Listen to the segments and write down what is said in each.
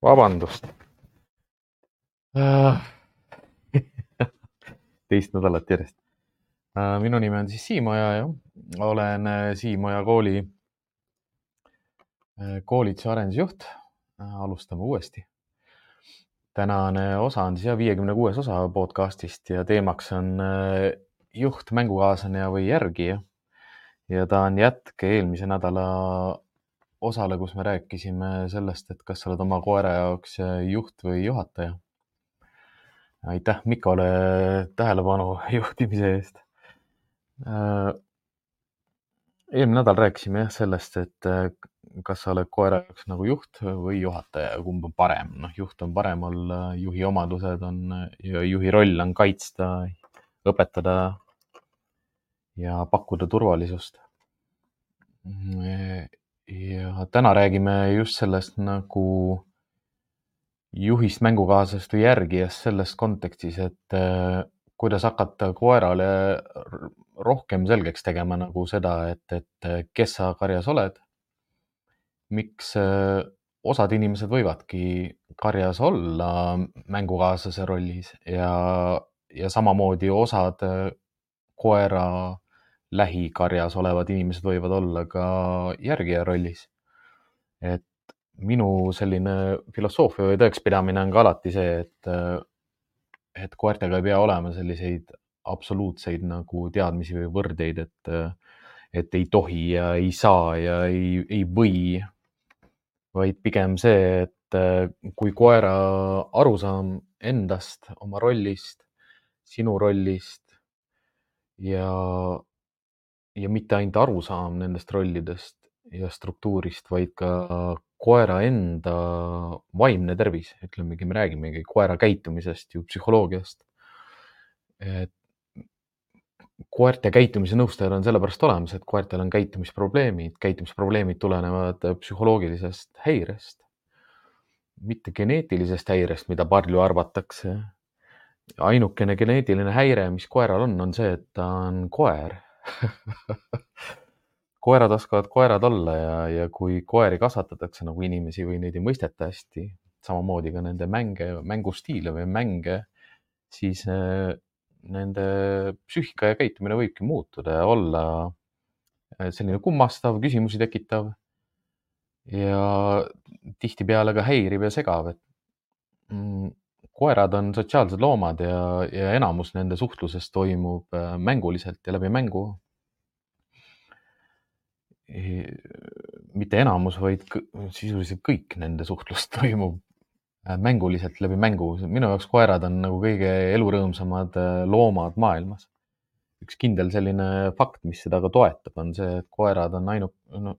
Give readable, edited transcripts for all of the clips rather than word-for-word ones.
Vabandust. Teist nädalat järjest. Minu nimi on siis Siimoja ja olen Siimoja koolituse arendusjuht. Alustame uuesti. Tänane osa on siis 56. osa podcastist ja teemaks on juht, mängukaaslane või järgija. Ja ta on jätk eelmise nädala osale, kus me rääkisime sellest, et kas sa oled oma koera jaoks juht või juhataja. Aitäh Mikole tähelepanu juhtimise eest. Eelmine nädal rääkisime sellest, et kas sa oled koera jaoks nagu juht või juhataja, kumb on parem. Juht on parem olla, juhi omadused on ja juhi roll on kaitsta, õpetada ja pakkuda turvalisust. Ja täna räägime just sellest nagu juhist, mängukaaslast või järgijast selles kontekstis, et kuidas hakata koerale rohkem selgeks tegema nagu seda, et kes sa karjas oled. Miks osad inimesed võivadki karjas olla mängukaaslase rollis ja samamoodi osad koera lähikarjas olevad inimesed võivad olla ka järgija rollis. Et minu selline filosoofia või tõekspidamine on ka alati see, et koertega ei pea olema selliseid absoluutseid nagu teadmisi või võrdeid, et ei tohi ja ei saa ja ei või, vaid pigem see, et kui koera arusaam endast, oma rollist, sinu rollist ja mitte ainult arusaam nendest rollidest ja struktuurist, vaid ka koera enda vaimne tervis, ütlemegi, me räägimegi koera käitumisest ju psühholoogiast. Et koerte käitumise nõustajad on sellepärast olemas, et koertel on käitumisprobleemid tulenevad psühholoogilisest häirest, mitte geneetilisest häirest, mida palju arvatakse. Ainukene geneetiline häire, mis koeral on see, et ta on koer. Koerad oskavad koerad olla ja kui koeri kasvatatakse nagu inimesi või neid ei mõisteta hästi, samamoodi ka nende mängustiile või mänge, siis nende psüühika ja käitumine võibki muutuda ja olla selline kummastav, küsimusi tekitav ja tihtipeale ka häiriv ja segav. Koerad on sotsiaalsed loomad ja enamus nende suhtlusest toimub mänguliselt ja läbi mängu. Mitte enamus, vaid sisuliselt kõik nende suhtlust toimub mänguliselt läbi mängu. Minu jaoks koerad on nagu kõige elurõõmsamad loomad maailmas. Üks kindel selline fakt, mis seda ka toetab, on see, et koerad on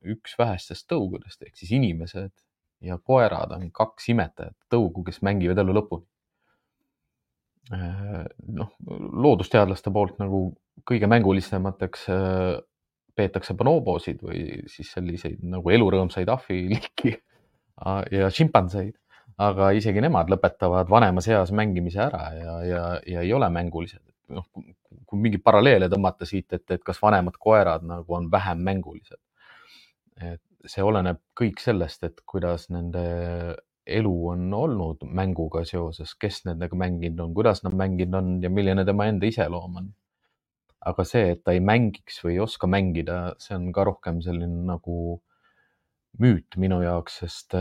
üks vähestest tõugudest, ehk siis inimesed ja koerad on kaks imetajat tõugu, kes mängivad elu lõpuni. Loodusteadlaste poolt nagu kõige mängulisemateks peetakse bonobosid või siis selliseid nagu elurõõmsaid ahviliiki ja šimpanseid, aga isegi nemad lõpetavad vanemas eas mängimise ära ja ei ole mängulised. Kui mingi paralleele tõmmata siit, et kas vanemad koerad nagu on vähem mängulised. See oleneb kõik sellest, et kuidas nende elu on olnud mänguga seoses, kes nendega mänginud on, kuidas nad mänginud on ja milline tema enda iseloom on. Aga see, et ta ei mängiks või ei oska mängida, see on ka rohkem selline nagu müüt minu jaoks, sest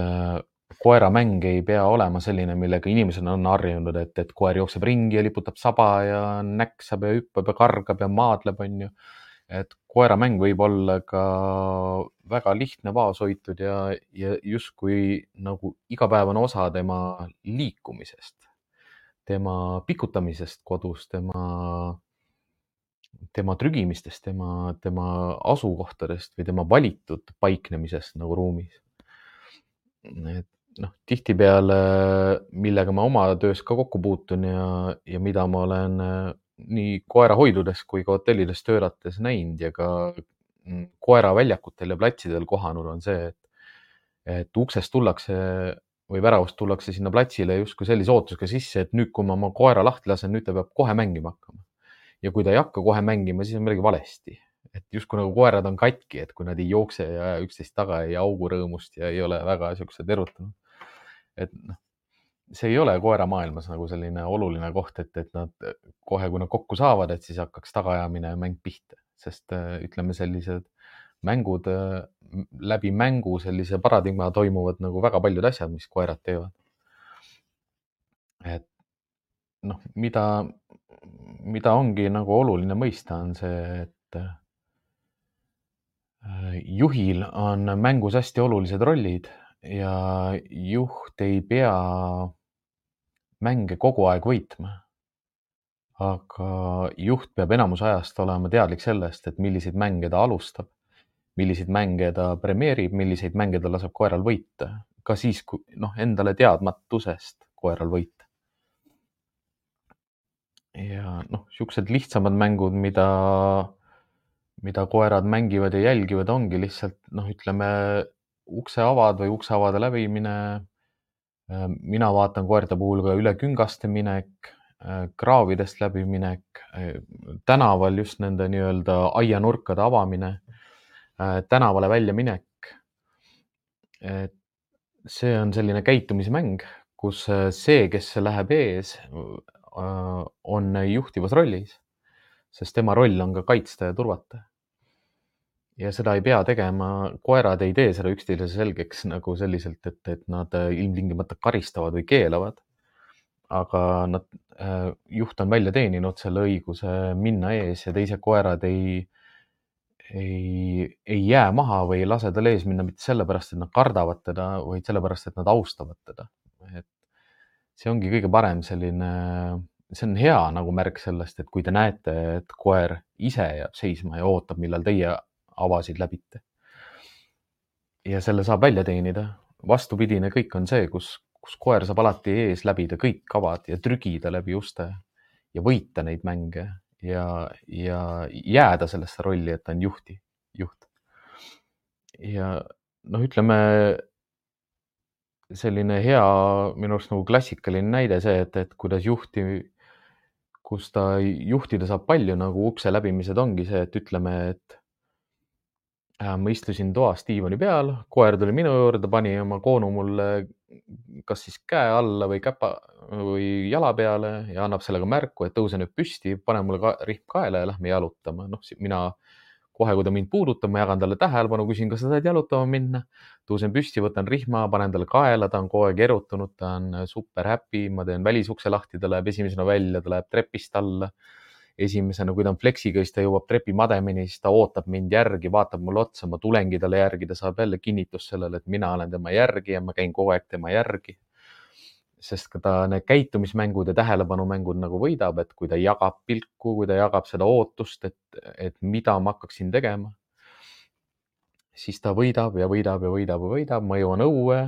koeramäng ei pea olema selline, millega inimesed on harjunud, et koer jookseb ringi ja liputab saba ja näksab ja hüppab ja kargab ja maadleb, on ju. Et koeramäng võib olla ka väga lihtne, vaoshoitud ja justkui nagu igapäevane osa tema liikumisest, tema pikutamisest kodus, tema trügimistest, tema asukohtadest või tema valitud paiknemisest nagu ruumis. Et tihtipeale, millega ma oma töös ka kokku puutun ja mida ma olen nii koerahoidudes kui ka hotellides töötates näinud ja ka koeraväljakutel ja platsidel kohanud, on see, et uksest tullakse või väravast tullakse sinna platsile justkui sellise ootusega sisse, et nüüd, kui ma oma koera lahti lasen, nüüd ta peab kohe mängima hakkama. Ja kui ta ei hakka kohe mängima, siis on midagi valesti. Et justkui nagu koerad on katki, et kui nad ei jookse ja üksteist taga ei augu rõõmust ja ei ole väga siuksed erutanud. et noh, see ei ole koera maailmas nagu selline oluline koht, et nad kohe, kui nad kokku saavad, et siis hakkaks tagaajamine ja mäng pihta, sest ütleme, sellised mängud, läbi mängu sellise paradigma toimuvad nagu väga paljud asjad, mis koerad teevad. Et noh, mida ongi nagu oluline mõista, on see, et juhil on mängus hästi olulised rollid ja juht ei pea mänge kogu aeg võitma. Aga juht peab enamus ajast olema teadlik sellest, et milliseid mänge ta alustab, milliseid mänge ta premeerib, milliseid mänge ta laseb koeral võita. Ka siis, kui endale teadmatusest koeral võita. Ja siuksed lihtsamad mängud, mida koerad mängivad ja jälgivad, ongi lihtsalt, ütleme, ukseavad või ukseavade läbimine. Mina vaatan koerte puhul ka üle küngaste minek, kraavidest läbiminek, tänaval just nende nii-öelda aianurkade avamine, tänavale välja minek. See on selline käitumismäng, kus see, kes läheb ees, on juhtivas rollis, sest tema roll on ka kaitsta ja turvata. Ja seda ei pea tegema, koerad ei tee seda üksteise selgeks nagu selliselt, et nad ilmtingimata karistavad või keelavad. Aga juht on välja teeninud selle õiguse minna ees ja teised koerad ei jää maha või ei lase tal ees minna mitte sellepärast, et nad kardavad teda, vaid sellepärast, et nad austavad teda. Et see ongi kõige parem selline, see on hea nagu märk sellest, et kui te näete, et koer ise jääb seisma ja ootab, millal teie avasid läbite. Ja selle saab välja teenida. Vastupidine kõik on see, kus koer saab alati ees läbida kõik avad ja trügida läbi uste ja võita neid mänge ja jääda sellesse rolli, et ta on juht. Ja ütleme, selline hea, minu arust nagu klassikaline näide see, et kuidas kus ta juhtida saab palju nagu ukse läbimised ongi see, et ütleme, et ma istusin toas diivani peal, koer tuli minu juurde, pani oma koonu mulle kas siis käe alla või käpa või jala peale ja annab sellega märku, et tõuse nüüd püsti, pane mulle rihm kaela ja lähme jalutama. Mina kohe, kui ta mind puudutab, ma jagan talle tähelepanu, küsin, kas sa tahad jalutama minna. Tõusen püsti, võtan rihma, panen talle kaela, ta on kogu aeg erutunud, ta on super happy, ma teen välisukse lahti, ta läheb esimesena välja, ta läheb trepist alla. Esimesena, kui ta on fleksiga, siis ta jõuab trepimademini, siis ta ootab mind järgi, vaatab mulle otsa, ma tulengi talle järgi, ta saab jälle kinnitust sellele, et mina olen tema järgi ja ma käin kogu aeg tema järgi. Sest ka ta need käitumismängud ja tähelepanumängud nagu võidab, et kui ta jagab pilku, kui ta jagab seda ootust, et mida ma hakkaksin tegema, siis ta võidab ja võidab ja võidab ja võidab, ma jõuan õue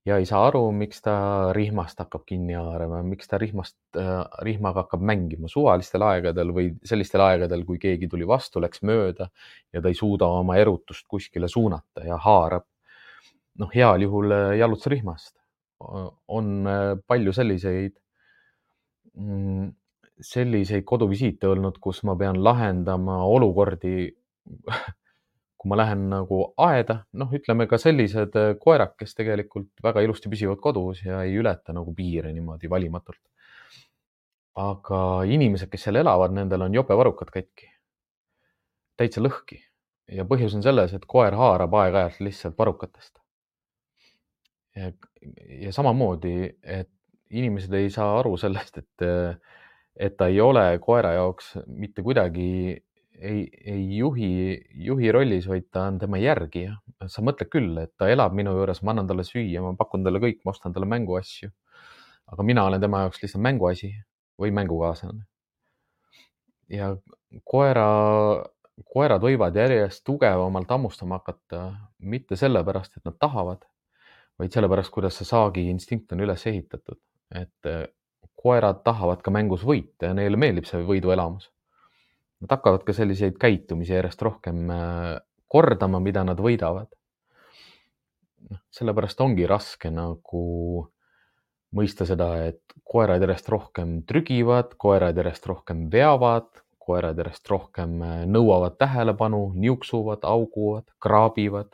ja ei saa aru, miks ta rihmast hakkab kinni haarama, miks ta rihmaga hakkab mängima suvalistel aegadel või sellistel aegadel, kui keegi tuli vastu, läks mööda ja ta ei suuda oma erutust kuskile suunata ja haarab. Heal juhul jalutusrihmast. On palju selliseid koduvisiite olnud, kus ma pean lahendama olukordi, kui ma lähen nagu aeda, ütleme ka sellised koerad, kes tegelikult väga ilusti püsivad kodus ja ei ületa nagu piire niimoodi valimatult. Aga inimesed, kes seal elavad, nendel on jope varrukad katki. Täitsa lõhki. Ja põhjus on selles, et koer haarab aeg-ajalt lihtsalt varrukatest. Ja samamoodi, et inimesed ei saa aru sellest, et ta ei ole koera jaoks mitte kuidagi ei juhi rollis, vaid ta on tema järgija. Sa mõtled küll, et ta elab minu juures, ma annan talle süüa, ma pakun talle kõik, ma ostan talle mänguasju. Aga mina olen tema jaoks lihtsalt mänguasi või mängukaaslane. Ja koerad võivad järjest tugevamalt hammustama hakata, mitte sellepärast, et nad tahavad, vaid sellepärast, kuidas see saagi instinkt on üles ehitatud. Et koerad tahavad ka mängus võita ja neile meeldib see võiduelamus. Nad hakkavad ka selliseid käitumisi järjest rohkem kordama, mida nad võidavad. Sellepärast ongi raske nagu mõista seda, et koerad järjest rohkem trügivad, koerad järjest rohkem veavad, koerad järjest rohkem nõuavad tähelepanu, niuksuvad, auguvad, kraabivad,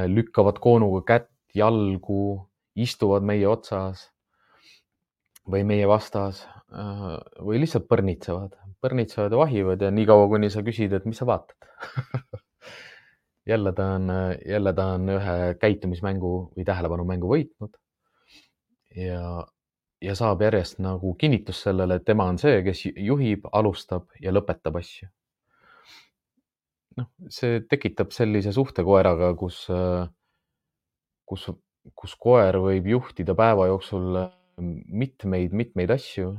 lükkavad koonuga kätt, jalgu, istuvad meie otsas või meie vastas või lihtsalt põrnitsevad ja vahivad ja niikaua, kuni sa küsid, et mis sa vaatad jälle ta on ühe käitumismängu või tähelepanumängu võitnud ja saab järjest nagu kinnitust sellele, et tema on see, kes juhib, alustab ja lõpetab asju. Noh, see tekitab sellise suhte koeraga, kus koer võib juhtida päeva jooksul mitmeid asju,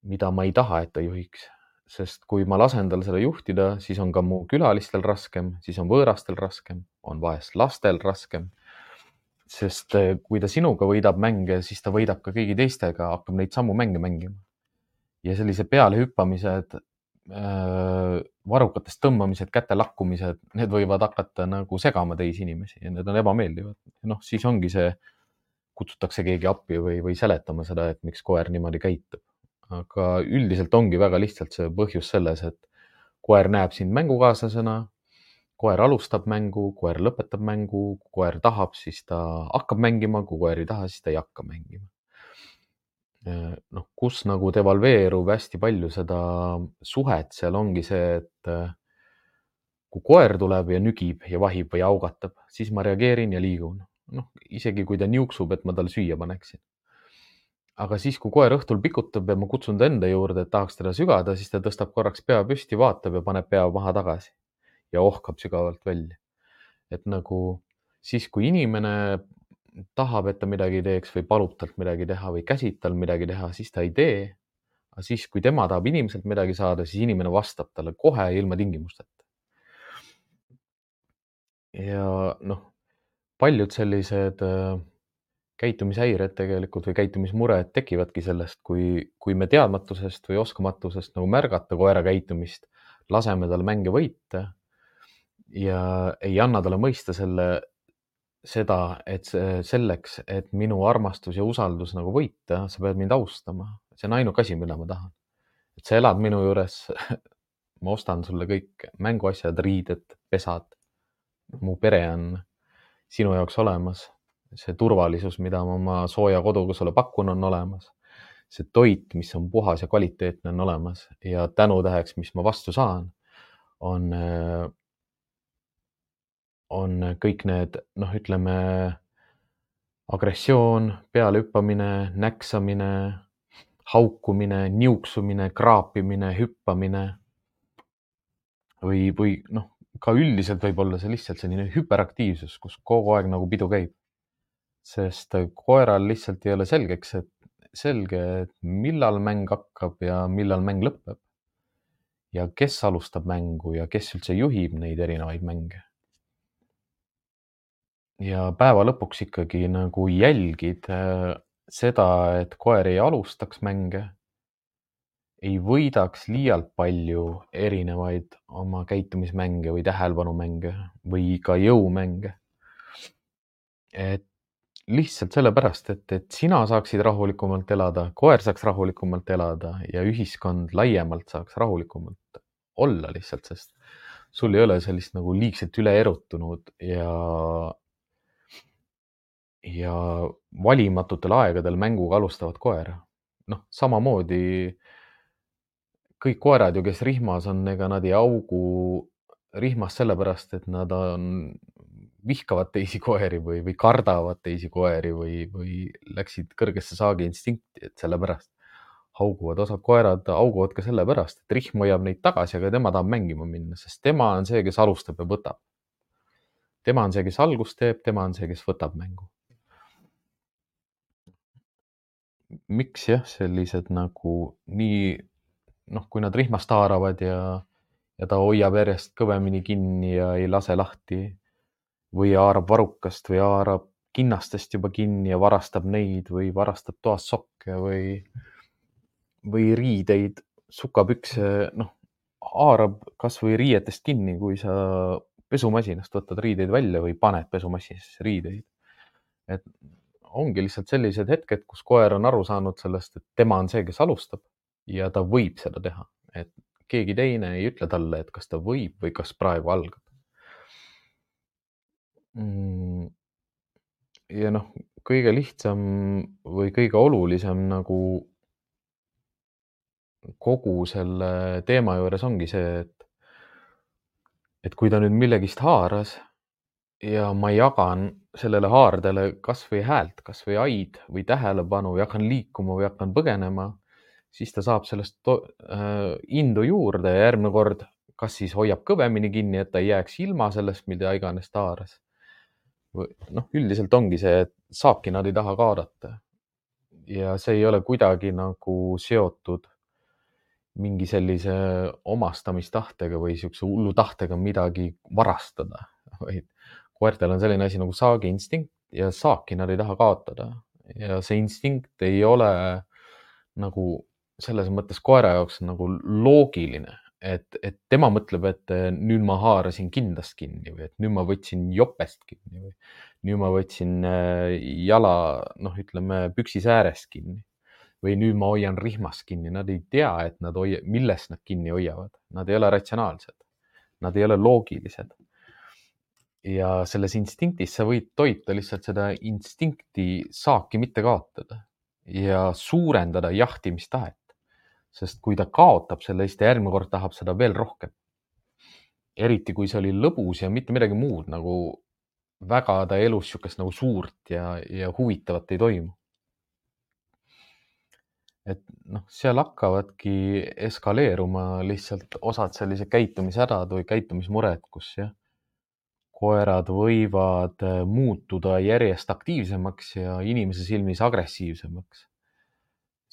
mida ma ei taha, et ta juhiks. Sest kui ma lasen tal seda juhtida, siis on ka mu külalistel raskem, siis on võõrastel raskem, on vahest lastel raskem. Sest kui ta sinuga võidab mänge, siis ta võidab ka kõigi teistega, hakkab neid samu mänge mängima. Ja sellise pealehüppamised, varrukatest tõmbamised, käte lakkumised, need võivad hakata nagu segama teisi inimesi ja need on ebameeldivad. Noh, siis ongi see, kutsutakse keegi appi või seletama seda, et miks koer niimoodi käitub. Aga üldiselt ongi väga lihtsalt see põhjus selles, et koer näeb sind mängukaaslasena, koer alustab mängu, koer lõpetab mängu, kui koer tahab, siis ta hakkab mängima, kui koer ei taha, siis ta ei hakka mängima. Noh, kus nagu devalveerub hästi palju seda suhet, seal ongi see, et kui koer tuleb ja nügib ja vahib või augatab, siis ma reageerin ja liigun. Noh, isegi kui ta niuksub, et ma talle süüa paneksin. Aga siis, kui koer õhtul pikutab ja ma kutsun ta enda juurde, et tahaks teda sügada, siis ta tõstab korraks pea püsti, vaatab ja paneb pea maha tagasi ja ohkab sügavalt välja. Et nagu siis, kui inimene tahab, et ta midagi teeks või palub talt midagi teha või käsib tal midagi teha, siis ta ei tee. Aga siis, kui tema tahab inimeselt midagi saada, siis inimene vastab talle kohe ilma tingimusteta. Ja noh, paljud sellised käitumishäired tegelikult või käitumismured tekivadki sellest, kui me teadmatusest või oskamatusest nagu märgata koera käitumist, laseme tal mänge võita ja ei anna talle mõista seda, et selleks, et minu armastus ja usaldus nagu võita, sa pead mind austama. See on ainuke asi, mida ma tahan. Et sa elad minu juures, ma ostan sulle kõik mänguasjad, riided, pesad. Mu pere on sinu jaoks olemas. See turvalisus, mida ma oma sooja koduga sulle pakun, on olemas. See toit, mis on puhas ja kvaliteetne, on olemas. Ja tänutäheks, mis ma vastu saan, on kõik need, noh, ütleme, agressioon, pealehüppamine, näksamine, haukumine, niuksumine, kraapimine, hüppamine või noh, ka üldiselt võib olla see lihtsalt selline hüperaktiivsus, kus kogu aeg nagu pidu käib. Sest koeral lihtsalt ei ole selge, et millal mäng hakkab ja millal mäng lõpeb. Ja kes alustab mängu ja kes üldse juhib neid erinevaid mänge. Ja päeva lõpuks ikkagi nagu jälgid seda, et koer ei alustaks mänge, ei võidaks liialt palju erinevaid oma käitumismänge või tähelepanumänge või ka jõumänge. Et lihtsalt sellepärast, et sina saaksid rahulikumalt elada, koer saaks rahulikumalt elada ja ühiskond laiemalt saaks rahulikumalt olla lihtsalt, sest sul ei ole sellist nagu liigselt üle erutunud ja valimatutel aegadel mänguga alustavat koera. Noh, samamoodi kõik koerad ju, kes rihmas on, ega nad ei augu rihmas sellepärast, et nad vihkavad teisi koeri või kardavad teisi koeri või läksid kõrgesse saagi instinkti, et sellepärast hauguvad. Osad koerad hauguvad ka sellepärast, et rihm hoiab neid tagasi, aga tema tahab mängima minna, sest tema on see, kes alustab ja võtab. Tema on see, kes algust teeb, tema on see, kes võtab mängu. Miks jah, sellised nagu nii, noh, kui nad rihmast haaravad ja ta hoiab järjest kõvemini kinni ja ei lase lahti või haarab varrukast või haarab kinnastest juba kinni ja varastab neid või varastab toast sokke või riideid, sukapükse, noh, haarab kas või riietest kinni, kui sa pesumasinast võtad riideid välja või paned pesumasinasse riideid. Et ongi lihtsalt sellised hetked, kus koer on aru saanud sellest, et tema on see, kes alustab ja ta võib seda teha. Et keegi teine ei ütle talle, et kas ta võib või kas praegu algab. ja noh, kõige lihtsam või kõige olulisem nagu kogu selle teema juures ongi see, et kui ta nüüd millegist haaras ja ma jagan sellele haardele kas või häält, kas või aid või tähelepanu ja hakkan liikuma või hakkan põgenema, siis ta saab sellest indu juurde ja järgmine kord kas siis hoiab kõvemini kinni, et ta ei jääks ilma sellest, mida iganes ta haaras. Noh, üldiselt ongi see, et saaki nad ei taha kaadata ja see ei ole kuidagi nagu seotud mingi sellise omastamistahtega või siukse hullu tahtega midagi varastada, vaid koertel on selline asi nagu saagiinstinkt ja saaki nad ei taha kaotada ja see instinkt ei ole nagu selles mõttes koera jaoks nagu loogiline, et tema mõtleb, et nüüd ma haarasin kindast kinni või et nüüd ma võtsin jopest kinni või nüüd ma võtsin jala, noh, ütleme püksisäärest kinni või nüüd ma hoian rihmast kinni. Nad ei tea, et millest nad kinni hoiavad. Nad ei ole ratsionaalsed. Nad ei ole loogilised. Ja selles instinktis sa võid toita lihtsalt seda instinkti saaki mitte kaotada ja suurendada jahtimistahet. Sest kui ta kaotab selle, siis ta järgmine kord tahab seda veel rohkem. Eriti kui see oli lõbus ja mitte midagi muud, nagu väga ta elus siukest nagu suurt ja huvitavat ei toimu. Et noh, seal hakkavadki eskaleeruma lihtsalt osad sellised käitumishädad või käitumismured, kus jah, koerad võivad muutuda järjest aktiivsemaks ja inimese silmis agressiivsemaks.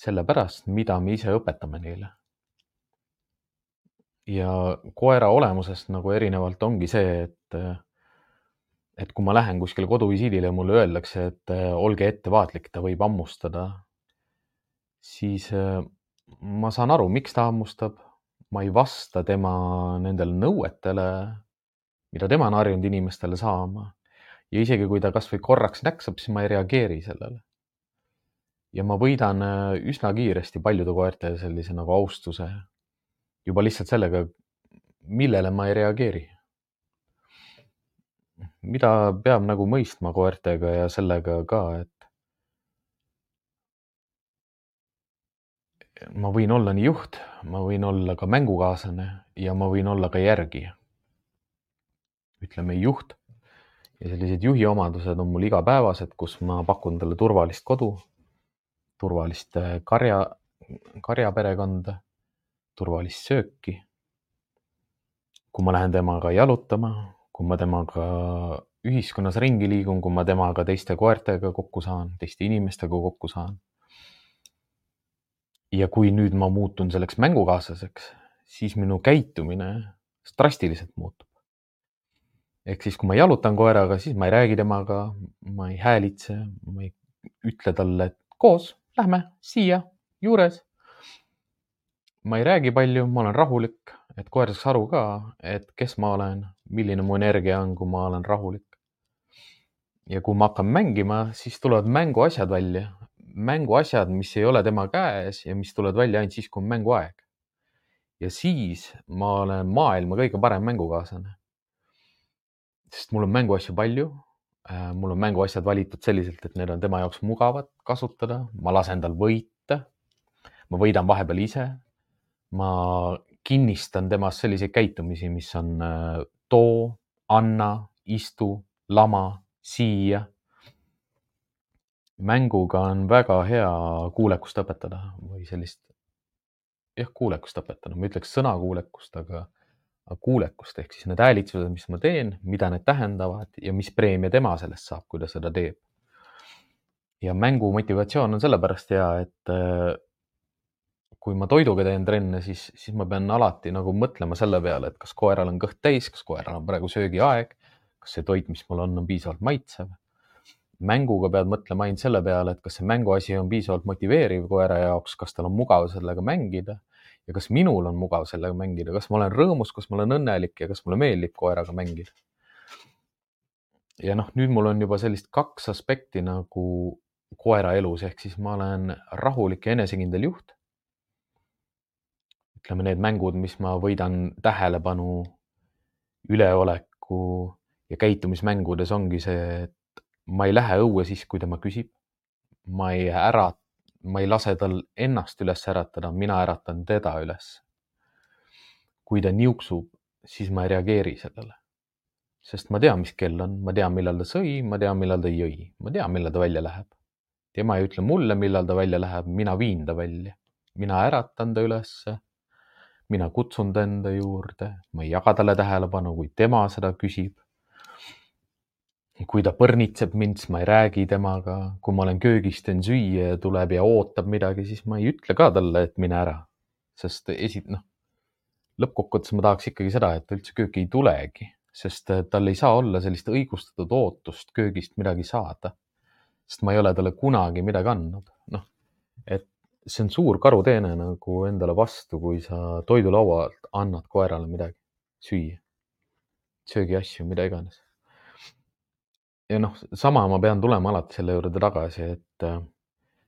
Sellepärast, mida me ise õpetame neile. Ja koera olemusest nagu erinevalt ongi see, et kui ma lähen kuskile koduvisiidile ja mulle öeldakse, et olge ettevaatlik, ta võib hammustada, siis ma saan aru, miks ta hammustab. Ma ei vasta tema nendele nõuetele, mida tema on harjunud inimestele saama. Ja isegi kui ta kas või korraks näksab, siis ma ei reageeri sellele. Ja ma võidan üsna kiiresti paljude koerte sellise nagu austuse juba lihtsalt sellega, millele ma ei reageeri. Mida peab nagu mõistma koertega ja sellega ka, et ma võin olla nii juht, ma võin olla ka mängukaaslane ja ma võin olla ka järgija. Ütleme juht ja sellised juhi omadused on mul igapäevased, kus ma pakun talle turvalist kodu, turvalist karjaperekonda, turvalist sööki. Kui ma lähen temaga jalutama, kui ma temaga ühiskonnas ringi liigun, kui ma temaga teiste koertega kokku saan, teiste inimestega kokku saan. Ja kui nüüd ma muutun selleks mängukaaslaseks, siis minu käitumine drastiliselt muutub. Ehk siis, kui ma jalutan koeraga, siis ma ei räägi temaga, ma ei häälitse, ma ei ütle talle, et koos, lähme siia juures. Ma ei räägi palju, ma olen rahulik, et koer saaks aru ka, et kes ma olen, milline mu energia on, kui ma olen rahulik. Ja kui ma hakkan mängima, siis tulevad mänguasjad välja. Mänguasjad, mis ei ole tema käes ja mis tulevad välja ainult siis, kui on mänguaeg. Ja siis ma olen maailma kõige parem mängukaaslane. Sest mul on mänguasju palju. Mul on mänguasjad valitud selliselt, et need on tema jaoks mugavad kasutada. Ma lasen tal võita. Ma võidan vahepeal ise. Ma kinnistan temas selliseid käitumisi, mis on too, anna, istu, lama, siia. Mänguga on väga hea kuulekust õpetada või sellist, kuulekust õpetada. Ma ütleks sõnakuulekust, aga kuulekust ehk siis need häälitsused, mis ma teen, mida need tähendavad ja mis preemia tema sellest saab, kui ta seda teeb. Ja mängu motivatsioon on sellepärast hea, et kui ma toiduga teen trenne, siis ma pean alati nagu mõtlema selle peale, et kas koeral on kõht täis, kas koeral on praegu söögiaeg, kas see toit, mis mul on piisavalt maitsev. Mänguga pead mõtlema ainult selle peale, et kas see mänguasi on piisavalt motiveeriv koera jaoks, kas tal on mugav sellega mängida ja kas minul on mugav sellega mängida, kas ma olen rõõmus, kas ma olen õnnelik ja kas mulle meeldib koeraga mängida. Ja noh, nüüd mul on juba sellist 2 aspekti nagu koera elus, ehk siis ma olen rahulik ja enesekindel juht. Ütleme need mängud, mis ma võidan tähelepanu, üleoleku ja käitumismängudes ongi see, et ma ei lähe õue siis, kui tema küsib. ma ei lase tal ennast üles äratada, mina äratan teda üles. kui ta niuksub, siis ma ei reageeri sellele. Sest ma tean, mis kell on, ma tean, millal ta sõi, ma tean, millal ta jõi, ma tean, millal ta välja läheb. tema ei ütle mulle, millal ta välja läheb, mina viin ta välja. mina äratan ta ülesse, mina kutsun ta enda juurde, ma ei jaga talle tähelepanu, kui tema seda küsib. kui ta põrnitseb mind, siis ma ei räägi temaga. kui ma olen köögis, teen süüa ja tuleb ja ootab midagi, siis ma ei ütle ka talle, et mine ära. Sest lõppkokkuvõttes ma tahaks ikkagi seda, et ta üldse kööki ei tulegi, sest tal ei saa olla sellist õigustatud ootust köögist midagi saada. Sest ma ei ole talle kunagi midagi andnud. Et see on suur karuteene nagu endale vastu, kui sa toidulaualt annad koerale midagi süüa, söögiasju, mida iganes. ja sama ma pean tulema alati selle juurde tagasi, et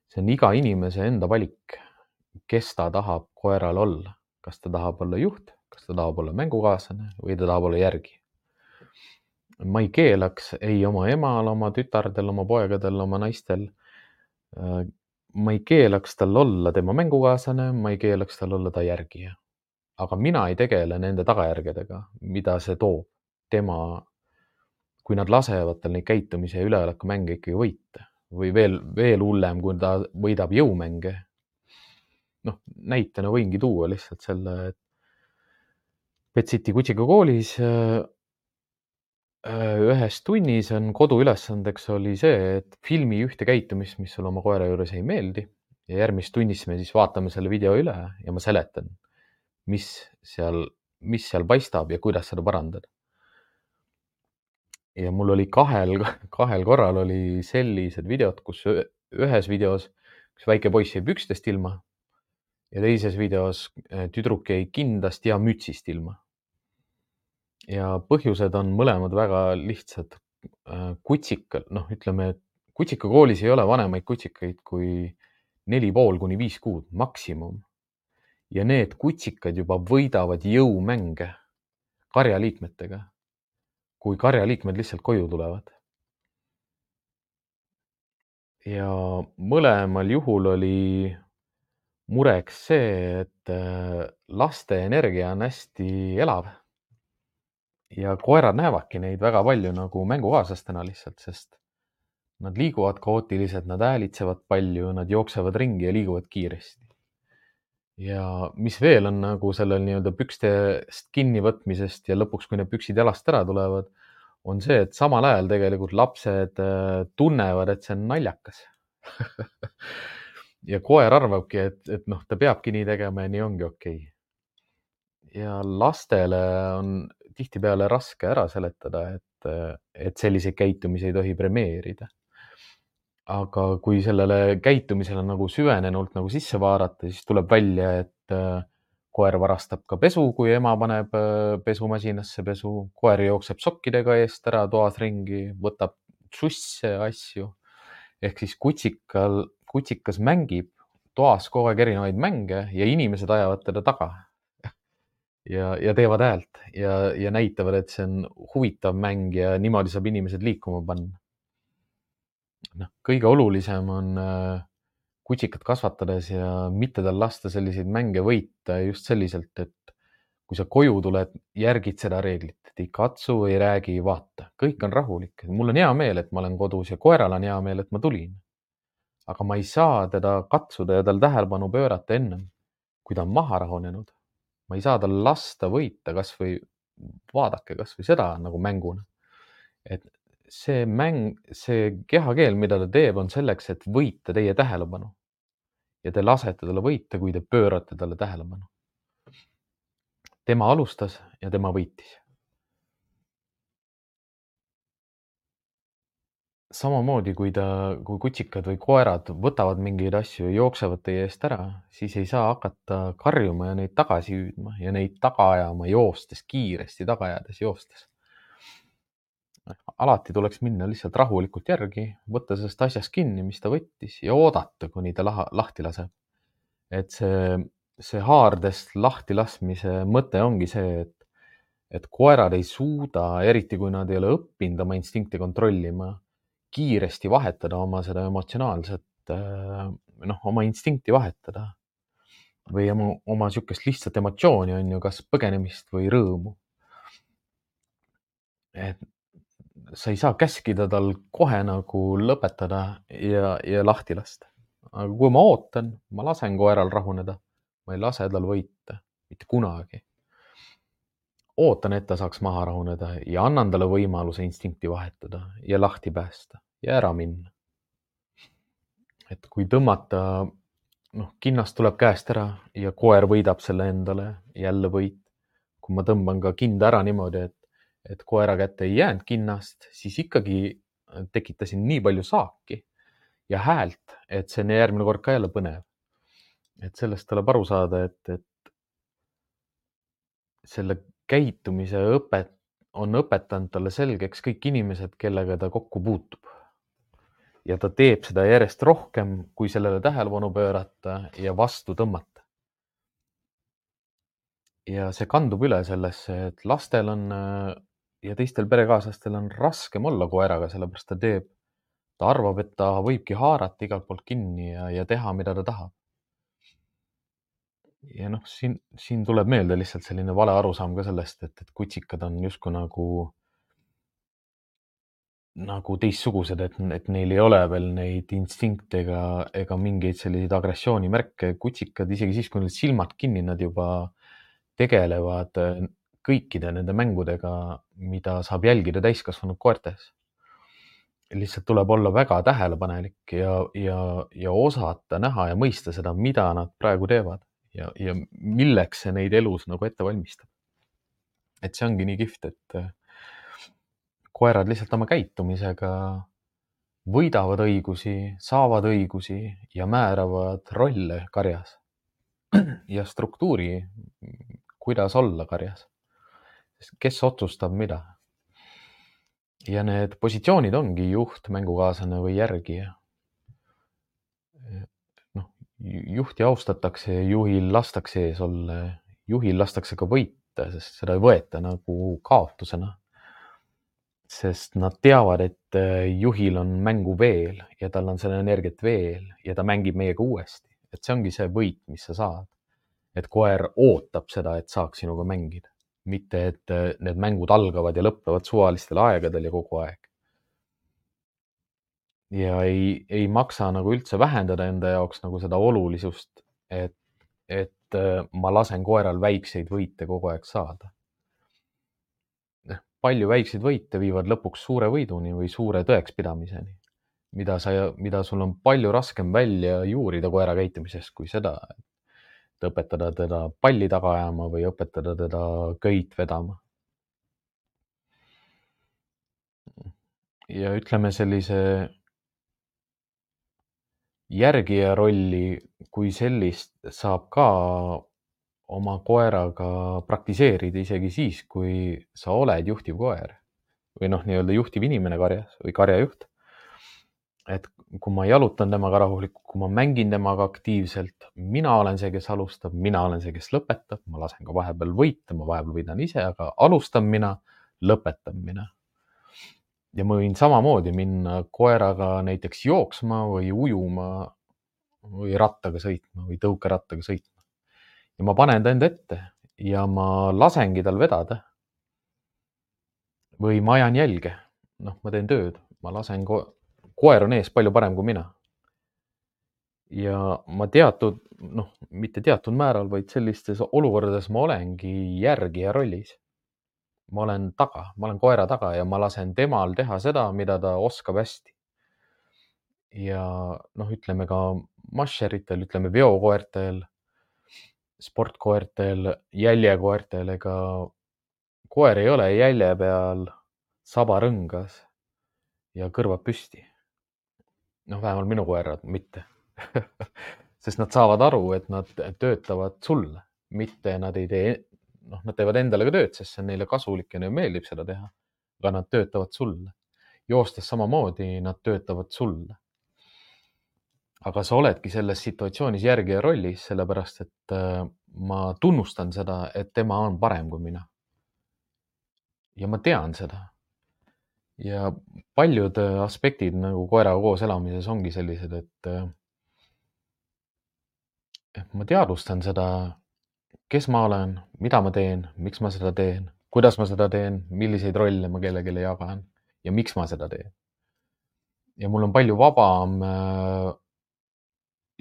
see on iga inimese enda valik, kes ta tahab koeral olla. kas ta tahab olla juht, kas ta tahab olla mängukaaslane või ta tahab olla järgi. ma ei keelaks ei oma emal, oma tütardel, oma poegadel, oma naistel. ma ei keelaks tal olla tema mängukaaslane, ma ei keelaks tal olla ta järgija. Aga mina ei tegele nende tagajärgedega, mida see toob. Kui nad lasevad tal neid käitumise ja üleolekumänge ikkagi võita või veel hullem, kui ta võidab jõumänge. Näitena võingi tuua lihtsalt selle, et Pet City kutsikakoolis ühes tunnis on koduülesandeks oli see, et filmi ühte käitumist, mis sulle oma koera juures ei meeldi ja järgmist tunnis me siis vaatame selle video üle ja ma seletan, mis seal paistab ja kuidas seda parandada. ja mul oli kahel korral oli sellised videod, kus ühes videos üks väike poiss jäi pükstest ilma ja teises videos tüdruk jäi kindast ja mütsist ilma. ja põhjused on mõlemad väga lihtsad. Ütleme, et kutsikakoolis ei ole vanemaid kutsikaid kui 4,5 kuni 5 kuud maksimum. ja need kutsikad juba võidavad jõumänge karjaliikmetega, kui karjaliikmed lihtsalt koju tulevad. ja mõlemal juhul oli mureks see, et laste energia on hästi elav. ja koerad näevadki neid väga palju nagu mängukaaslastena lihtsalt, sest nad liiguvad kaootiliselt, nad häälitsevad palju, nad jooksevad ringi ja liiguvad kiiresti. ja mis veel on nagu sellel nii-öelda pükstest kinnivõtmisest ja lõpuks, kui need püksid jalast ära tulevad, on see, et samal ajal tegelikult lapsed tunnevad, et see on naljakas. ja koer arvabki, et ta peabki nii tegema ja nii ongi okei. ja lastele on tihtipeale raske ära seletada, et selliseid käitumisi ei tohi premeerida. aga kui sellele käitumisele nagu süvenenult nagu sisse vaadata, siis tuleb välja, et koer varastab ka pesu, kui ema paneb pesumasinasse pesu. koer jookseb sokkidega eest ära toas ringi, võtab susse asju. ehk siis kutsikas mängib toas kogu aeg erinevaid mänge ja inimesed ajavad teda taga. ja teevad häält ja näitavad, et see on huvitav mäng ja niimoodi saab inimesed liikuma panna. kõige olulisem on kutsikat kasvatades ja mitte tal lasta selliseid mänge võita just selliselt, et kui sa koju tuled, järgid seda reeglit, et ei katsu, ei räägi, ei vaata. kõik on rahulik. mul on hea meel, et ma olen kodus ja koeral on hea meel, et ma tulin. aga ma ei saa teda katsuda ja tal tähelepanu pöörata ennem, kui ta on maha rahunenud. ma ei saa tal lasta võita, kasvõi vaadake kasvõi seda nagu mänguna. et see mäng, see kehakeel, mida ta teeb, on selleks, et võita teie tähelepanu. ja te lasete talle võita, kui te pöörate talle tähelepanu. tema alustas ja tema võitis. samamoodi, kui kutsikad või koerad võtavad mingeid asju ja jooksevad teie eest ära, siis ei saa hakata karjuma ja neid tagasi hüüdma ja neid taga ajama joostes, kiiresti taga ajades joostes. alati tuleks minna lihtsalt rahulikult järgi, võtta sellest asjast kinni, mis ta võttis ja oodata, kuni ta lahti laseb. et see haardest lahti laskmise mõte ongi see, et koerad ei suuda, eriti kui nad ei ole õppinud oma instinkte kontrollima, kiiresti vahetada oma seda emotsionaalset, oma instinkti vahetada või oma sihukest lihtsat emotsiooni on ju, kas põgenemist või rõõmu. Et sa ei saa käskida tal kohe nagu lõpetada ja lahti lasta. Aga kui ma ootan, ma lasen koeral rahuneda, ma ei lase tal võita, mitte kunagi. Ootan, et ta saaks maha rahuneda ja annan talle võimaluse instinkti vahetada ja lahti päästa ja ära minna. Et kui tõmmata, kinnast tuleb käest ära ja koer võidab selle endale, jälle võit. Kui ma tõmban ka kinda ära niimoodi, et koera kätte ei jäänud kinnast, siis ikkagi tekitasin nii palju saaki ja häält, et see on järgmine kord ka jälle põnev. Et sellest tuleb aru saada, et selle käitumise on õpetanud talle selgeks kõik inimesed, kellega ta kokku puutub. Ja ta teeb seda järjest rohkem, kui sellele tähelepanu pöörata ja vastu tõmmata. Ja see kandub üle sellesse, et lastel on ja teistel perekaaslastel on raskem olla koeraga, sellepärast ta arvab, et ta võibki haarata igalt poolt kinni ja teha, mida ta tahab. Ja siin tuleb meelde lihtsalt selline vale arusaam ka sellest, et kutsikad on justkui nagu teistsugused, et neil ei ole veel neid instinkte ega mingeid selliseid agressioonimärke. Kutsikad, isegi siis, kui neil silmad kinni, nad juba tegelevad kõikide nende mängudega, mida saab jälgida täiskasvanud koertes. Lihtsalt tuleb olla väga tähelepanelik ja osata näha ja mõista seda, mida nad praegu teevad ja milleks see neid elus nagu ette valmistab. Et see ongi nii kihvt, et koerad lihtsalt oma käitumisega võidavad õigusi, saavad õigusi ja määravad rolle karjas ja struktuuri, kuidas olla karjas. Kes otsustab mida? Ja need positsioonid ongi juht, mängukaaslane või järgija. Juhti austatakse ja juhil lastakse ees olla. Juhil lastakse ka võita, sest seda ei võeta nagu kaotusena. Sest nad teavad, et juhil on mängu veel ja tal on selle energiat veel ja ta mängib meiega uuesti. Et see ongi see võit, mis sa saad. Et koer ootab seda, et saaks sinuga mängida. Mitte, et need mängud algavad ja lõppevad suvalistel aegadel ja kogu aeg. Ja ei maksa nagu üldse vähendada enda jaoks nagu seda olulisust, et ma lasen koeral väikseid võite kogu aeg saada. Palju väikseid võite viivad lõpuks suure võiduni või suure tõekspidamiseni, mida sul on palju raskem välja juurida koera käitumisest kui seda, et õpetada teda palli taga ajama või õpetada teda köit vedama. Ja ütleme sellise järgija rolli kui sellist saab ka oma koeraga praktiseerida isegi siis, kui sa oled juhtiv koer või nii-öelda juhtiv inimene karjas või karjajuht. Et kui ma jalutan temaga rahulikult, kui ma mängin temaga aktiivselt, mina olen see, kes alustab, mina olen see, kes lõpetab, ma lasen ka vahepeal võita, ma vahepeal võidan ise, aga alustan mina, lõpetan mina. Ja ma võin samamoodi minna koeraga näiteks jooksma või ujuma või rattaga sõitma või tõukerattaga sõitma. Ja ma panen ta enda ette ja ma lasengi tal vedada. Või ma ajan jälge. Ma teen tööd. Ma lasen koer on ees palju parem kui mina. Ja ma mitte teatud määral, vaid sellistes olukordades ma olengi järgija rollis. Ma olen taga, ma olen koera taga ja ma lasen temal teha seda, mida ta oskab hästi. Ja ütleme ka mašeritel, ütleme veokoertel, sportkoertel, jäljekoertel, ega koer ei ole jälje peal sabarõngas ja kõrvad püsti. Vähemalt minu koerad mitte. Sest nad saavad aru, et nad töötavad sulle, mitte nad ei tee, nad teevad endale ka tööd, sest see on neile kasulik ja neile meeldib seda teha. Aga nad töötavad sulle. Joostes samamoodi nad töötavad sulle. Aga sa oledki selles situatsioonis järgija rollis, sellepärast, et ma tunnustan seda, et tema on parem kui mina. Ja ma tean seda. ja paljud aspektid nagu koeraga koos elamises ongi sellised, et ma teadvustan seda, kes ma olen, mida ma teen, miks ma seda teen, kuidas ma seda teen, milliseid rolle ma kellelegi jagan ja miks ma seda teen. Ja mul on palju vabam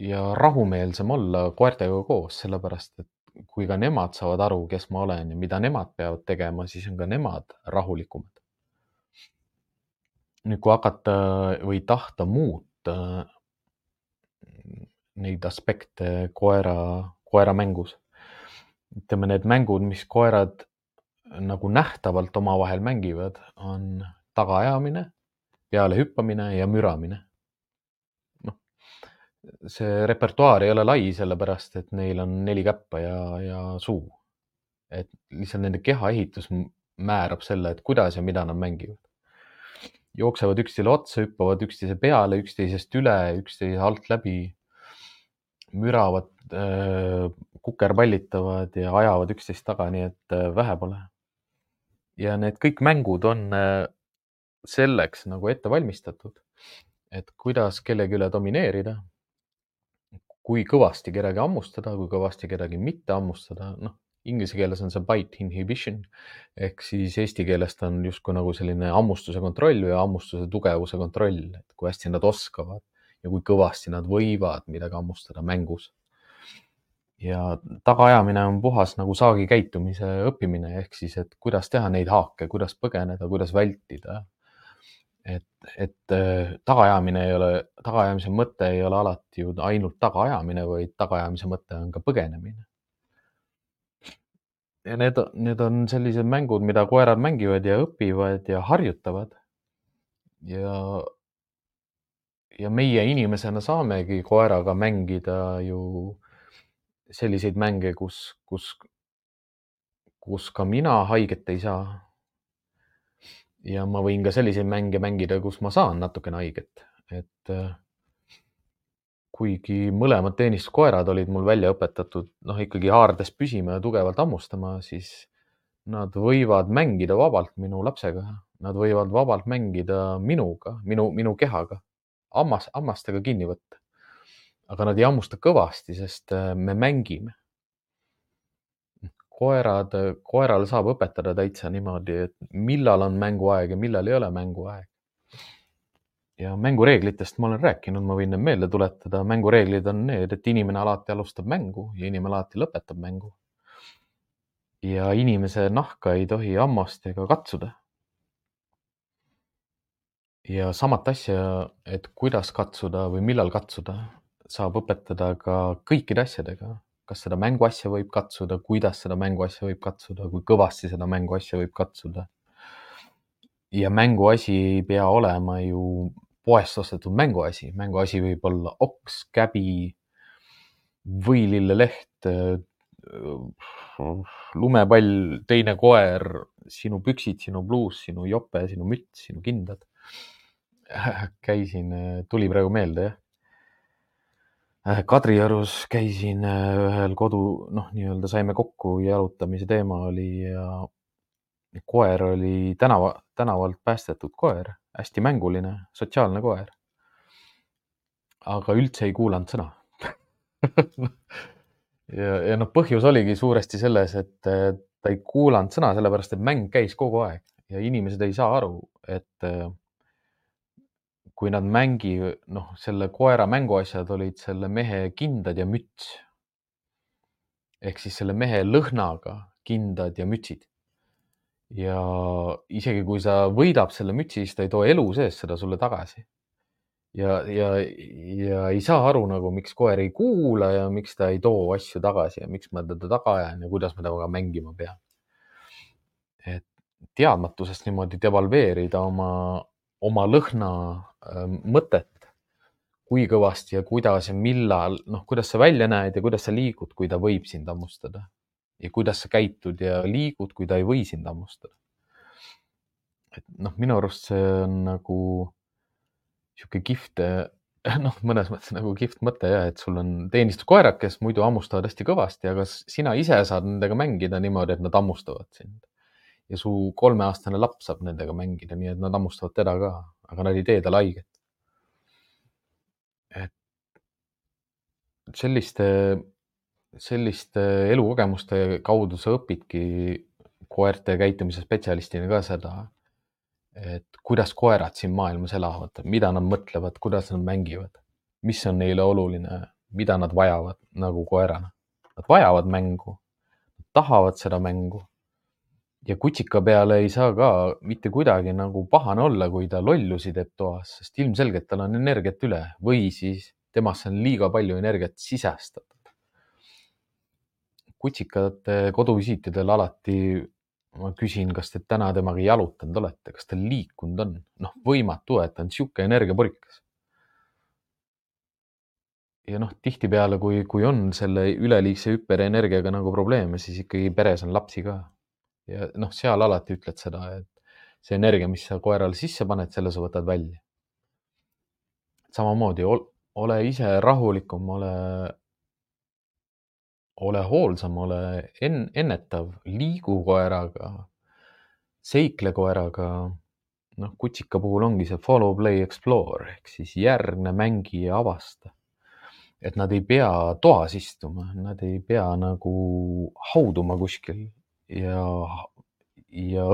ja rahumeelsem olla koertega koos, sellepärast et kui ka nemad saavad aru, kes ma olen ja mida nemad peavad tegema, siis on ka nemad rahulikumad. Nüüd, kui hakata või tahta muuta neid aspekte koera mängus, ütleme need mängud, mis koerad nagu nähtavalt omavahel mängivad, on tagaajamine, peale hüppamine ja müramine. Noh, see repertuaar ei ole lai, sellepärast et neil on 4 käppa ja suu. Et lihtsalt nende kehaehitus määrab selle, et kuidas ja mida nad mängivad. Jooksevad üksteisele otsa, hüppavad üksteise peale, üksteisest üle, üksteise alt läbi, müravad, kukerpallitavad ja ajavad üksteist taga, nii et vähe pole. Ja need kõik mängud on selleks nagu ette valmistatud, et kuidas kellegi üle domineerida, kui kõvasti kedagi hammustada, kui kõvasti kedagi mitte hammustada. Noh, inglise keeles on see bite inhibition ehk siis eesti keelest on justkui nagu selline hammustuse kontroll või hammustuse tugevuse kontroll, et kui hästi nad oskavad ja kui kõvasti nad võivad midagi hammustada mängus. Ja tagaajamine on puhas nagu saagi käitumise õppimine ehk siis, et kuidas teha neid haake, kuidas põgeneda, kuidas vältida. Et tagaajamise mõte ei ole alati ju ainult tagaajamine, vaid tagaajamise mõte on ka põgenemine. Ja need on sellised mängud, mida koerad mängivad ja õpivad ja harjutavad. Ja meie inimesena saamegi koeraga mängida ju selliseid mänge, kus ka mina haiget ei saa. Ja ma võin ka selliseid mänge mängida, kus ma saan natukene haiget. Et kuigi mõlemad teenistuskoerad olid mul välja õpetatud, ikkagi haardes püsima ja tugevalt hammustama, siis nad võivad mängida vabalt minu lapsega. Nad võivad vabalt mängida minuga, minu kehaga, hammastega kinni võtta. Aga nad ei hammusta kõvasti, sest me mängime. Koerale saab õpetada täitsa niimoodi, et millal on mänguaeg ja millal ei ole mänguaeg. Ja mängureeglitest ma olen rääkinud, ma võin need meelde tuletada. Mängureeglid on need, et inimene alati alustab mängu ja inimene alati lõpetab mängu. Ja inimese nahka ei tohi hammast ega katsuda. Ja samat asja, et kuidas katsuda või millal katsuda, saab õpetada ka kõikide asjadega. Kas seda mänguasja võib katsuda, kuidas seda mänguasja võib katsuda, kui kõvasti seda mänguasja võib katsuda. Ja mänguasi ei pea olema ju poest ostetud mänguasi. Mänguasi võib olla oks, käbi, võililleleht, lumepall, teine koer, sinu püksid, sinu bluus, sinu jope, sinu müts, sinu kindad. Tuli praegu meelde, jah. Kadriorus käisin ühel nii-öelda saime kokku, jalutamise teema oli ja koer oli tänavalt päästetud koer, hästi mänguline, sotsiaalne koer. Aga üldse ei kuulanud sõna. ja põhjus oligi suuresti selles, et ta ei kuulanud sõna, sellepärast et mäng käis kogu aeg ja inimesed ei saa aru, et kui nad selle koera mänguasjad olid selle mehe kindad ja müts. Ehk siis selle mehe lõhnaga kindad ja mütsid. Ja isegi kui sa võidab selle mütsi, siis ta ei too elu sees seda sulle tagasi. Ja ei saa aru miks koer ei kuula ja miks ta ei too asju tagasi ja miks ma teda taga ajan ja kuidas ma temaga mängima pean. Et teadmatusest niimoodi devalveerida oma lõhna mõtet, kui kõvasti ja kuidas ja millal, kuidas sa välja näed ja kuidas sa liigud, kui ta võib sind hammustada ja kuidas sa käitud ja liigud, kui ta ei või sind hammustada. Et minu arust see on nagu sihuke kihvt, mõnes mõttes nagu kihvt mõte ja, et sul on teenistuskoerad, kes muidu hammustavad hästi kõvasti, aga sina ise saad nendega mängida niimoodi, et nad hammustavad sind. ja su 3-aastane laps saab nendega mängida, nii et nad hammustavad teda ka, aga nad ei tee talle haiget. Et selliste elukogemuste kaudu sa õpidki koerte käitumise spetsialistina ka seda, et kuidas koerad siin maailmas elavad, mida nad mõtlevad, kuidas nad mängivad, mis on neile oluline, mida nad vajavad nagu koerana. Nad vajavad mängu, tahavad seda mängu. Ja kutsika peale ei saa ka mitte kuidagi nagu pahane olla, kui ta lollusi teeb toas, sest ilmselgelt tal on energiat üle või siis temasse on liiga palju energiat sisestatud. Kutsikate koduvisiitidel alati ma küsin, kas te täna temaga jalutanud olete, kas ta liikunud on. Noh, võimatu, et ta on sihuke energiapurikas. Ja noh, tihtipeale, kui on selle üleliigse hüperenergiaga nagu probleeme, siis ikkagi peres on lapsi ka. Ja noh, seal alati ütled seda, et see energia, mis sa koerale sisse paned, selle sa võtad välja. Samamoodi ole ise rahulikum, ole hoolsam, ole ennetav, liigu koeraga, seikle koeraga. Noh, kutsika puhul ongi see follow, play, explore ehk siis järgne, mängi ja avasta. Et nad ei pea toas istuma, nad ei pea nagu hauduma kuskil ja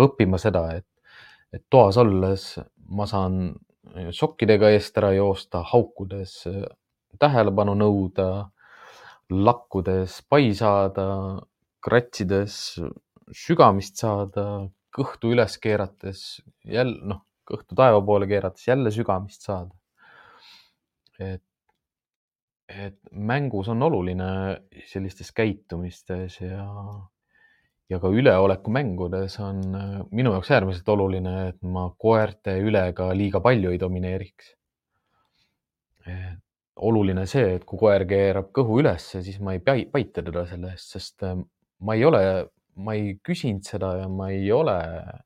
õppima seda, et toas olles ma saan sokkidega eest ära joosta, haukudes tähelepanu nõuda, lakkudes pai saada, kratsides sügamist saada, kõhtu üles keerates, jälle kõhtu taeva poole keerates jälle sügamist saada. Et mängus on oluline sellistes käitumistes ja ka üleolekumängudes on minu jaoks äärmiselt oluline, et ma koerte üle ka liiga palju ei domineeriks. Oluline see, et kui koer keerab kõhu üles, siis ma ei paita teda selle eest, sest ma ei küsinud seda ja ma ei ole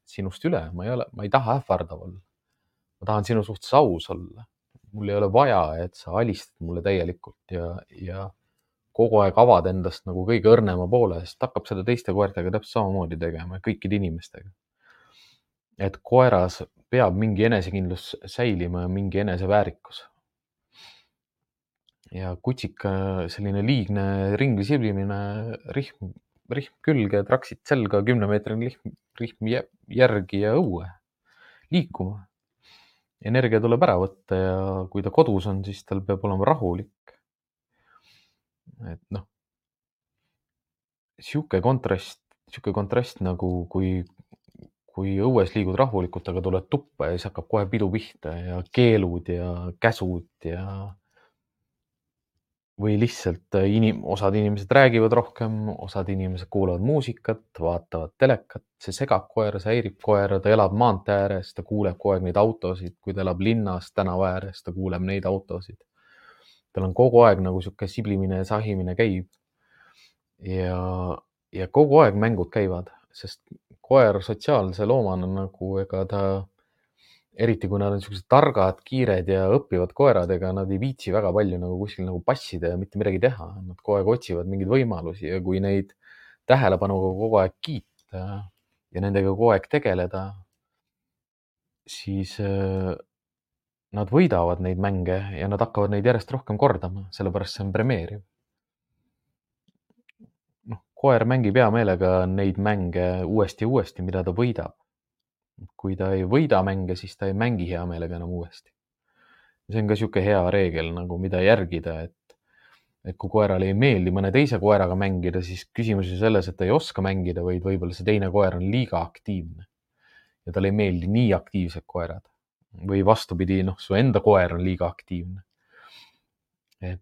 sinust üle, ma ei taha ähvardav olla. Ma tahan sinu suhtes aus olla. Mul ei ole vaja, et sa alistad mulle täielikult ja kogu aeg avad endast nagu kõige õrnema poole, sest hakkab seda teiste koertega täpselt samamoodi tegema, kõikide inimestega. Et koeras peab mingi enesekindlus säilima ja mingi eneseväärikus. Ja kutsika selline liigne ringi siblimine, rihm külge, traksid selga, 10-meetrine rihm järgi ja õue liikuma. Energia tuleb ära võtta ja kui ta kodus on, siis tal peab olema rahulik. Et noh, sihuke kontrast nagu kui õues liigud rahulikult, aga tuled tuppa ja siis hakkab kohe pidu pihta ja keelud ja käsud ja või lihtsalt osad inimesed räägivad rohkem, osad inimesed kuulavad muusikat, vaatavad telekat, see segab koera, see häirib koera, ta elab maantee ääres, ta kuuleb kogu aeg neid autosid, kui ta elab linnas tänava ääres, ta kuuleb neid autosid. Tal on kogu aeg nagu sihuke siblimine ja sahimine käib. Ja kogu aeg mängud käivad, sest koer sotsiaalse loomana nagu ega ta eriti kui nad on sellised targad, kiired ja õppivad koerad, ega nad ei viitsi väga palju nagu kuskil nagu passida ja mitte midagi teha. Nad kogu aeg otsivad mingeid võimalusi ja kui neid tähelepanuga kogu aeg kiita ja nendega kogu aeg tegeleda, siis nad võidavad neid mänge ja nad hakkavad neid järjest rohkem kordama, sellepärast see on premeeriv. Koer mängib hea meelega neid mänge uuesti ja uuesti, mida ta võidab. Kui ta ei võida mänge, siis ta ei mängi hea meelega enam uuesti. See on ka sihuke hea reegel nagu, mida järgida, et kui koerale ei meeldi mõne teise koeraga mängida, siis küsimus on selles, et ta ei oska mängida, vaid võib-olla see teine koer on liiga aktiivne ja talle ei meeldi nii aktiivsed koerad või vastupidi, su enda koer on liiga aktiivne. Et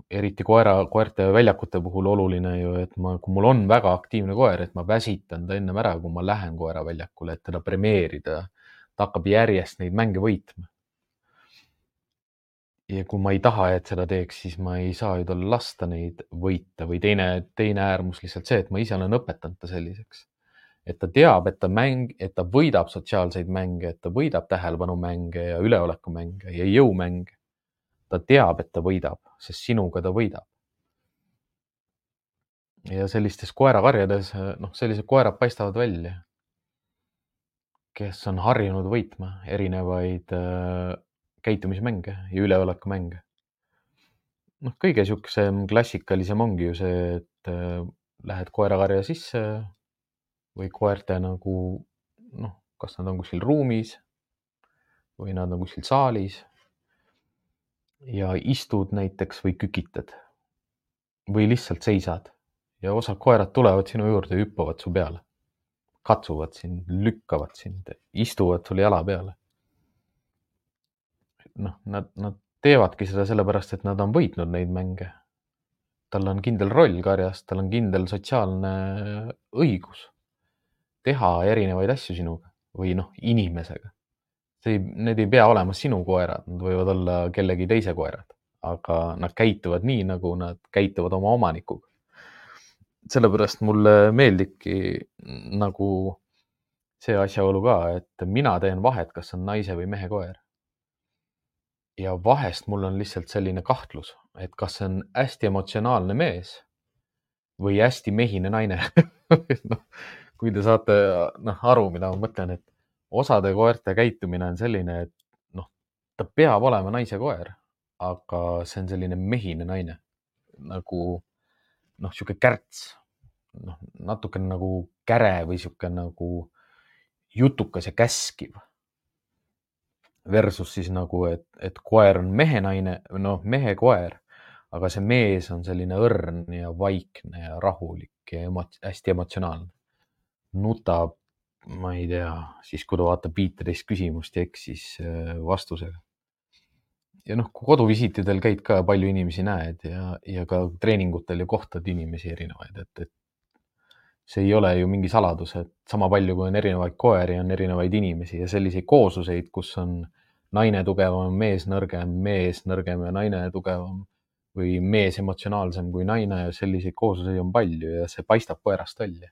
eriti koerte väljakute puhul oluline ju, et kui mul on väga aktiivne koer, et ma väsitan ta ennem ära, kui ma lähen koera väljakule, et teda premeerida. Ta hakkab järjest neid mänge võitma. Ja kui ma ei taha, et seda teeks, siis ma ei saa ju talle lasta neid võita või teine äärmus lihtsalt see, et ma ise olen õpetanud ta selliseks. Et ta teab, et ta võidab sotsiaalseid mänge, et ta võidab tähelepanumänge ja üleolekumänge ja jõumänge. Ta teab, et ta võidab, sest sinuga ta võidab. Ja sellistes koerakarjades, sellised koerad paistavad välja. kes on harjunud võitma erinevaid käitumismänge ja üleolekumänge. Noh, kõige siuksem klassikalisem ongi ju see, et lähed koerakarja sisse või koerte nagu noh, kas nad on kuskil ruumis või nad on kuskil saalis ja istud näiteks või kükitad või lihtsalt seisad ja osad koerad tulevad sinu juurde ja hüppavad su peale, katsuvad sind, lükkavad sind, istuvad sul jala peale. Noh, nad teevadki seda sellepärast, et nad on võitnud neid mänge. Tal on kindel roll karjas, tal on kindel sotsiaalne õigus teha erinevaid asju sinuga või noh, inimesega. Need ei pea olema sinu koerad, nad võivad olla kellegi teise koerad, aga nad käituvad nii, nagu nad käituvad oma omanikuga. Sellepärast mulle meeldibki nagu see asjaolu ka, et mina teen vahet, kas on naise või mehe koer. Ja vahest mul on lihtsalt selline kahtlus, et kas see on hästi emotsionaalne mees või hästi mehine naine. No, kui te saate aru, mida ma mõtlen, et osade koerte käitumine on selline, et noh, ta peab olema naise koer, aga see on selline mehine naine. Nagu noh, sihuke kärts, natuke nagu käre või sihuke nagu jutukas ja käskiv. Versus siis nagu, et koer on mehenaine, noh, mehe koer, aga see mees on selline õrn ja vaikne ja rahulik ja hästi emotsionaalne. Nutab, ma ei tea, siis kui ta vaatab 15 küsimust ja eksis vastusega. Ja noh, kui koduvisiitidel käid ka palju inimesi näed ja ka treeningutel ja kohtad inimesi erinevaid, et see ei ole ju mingi saladus, et sama palju kui on erinevaid koeri, on erinevaid inimesi ja selliseid koosluseid, kus on naine tugevam, mees nõrgem ja naine tugevam või mees emotsionaalsem kui naine ja selliseid koosluseid on palju ja see paistab koerast välja.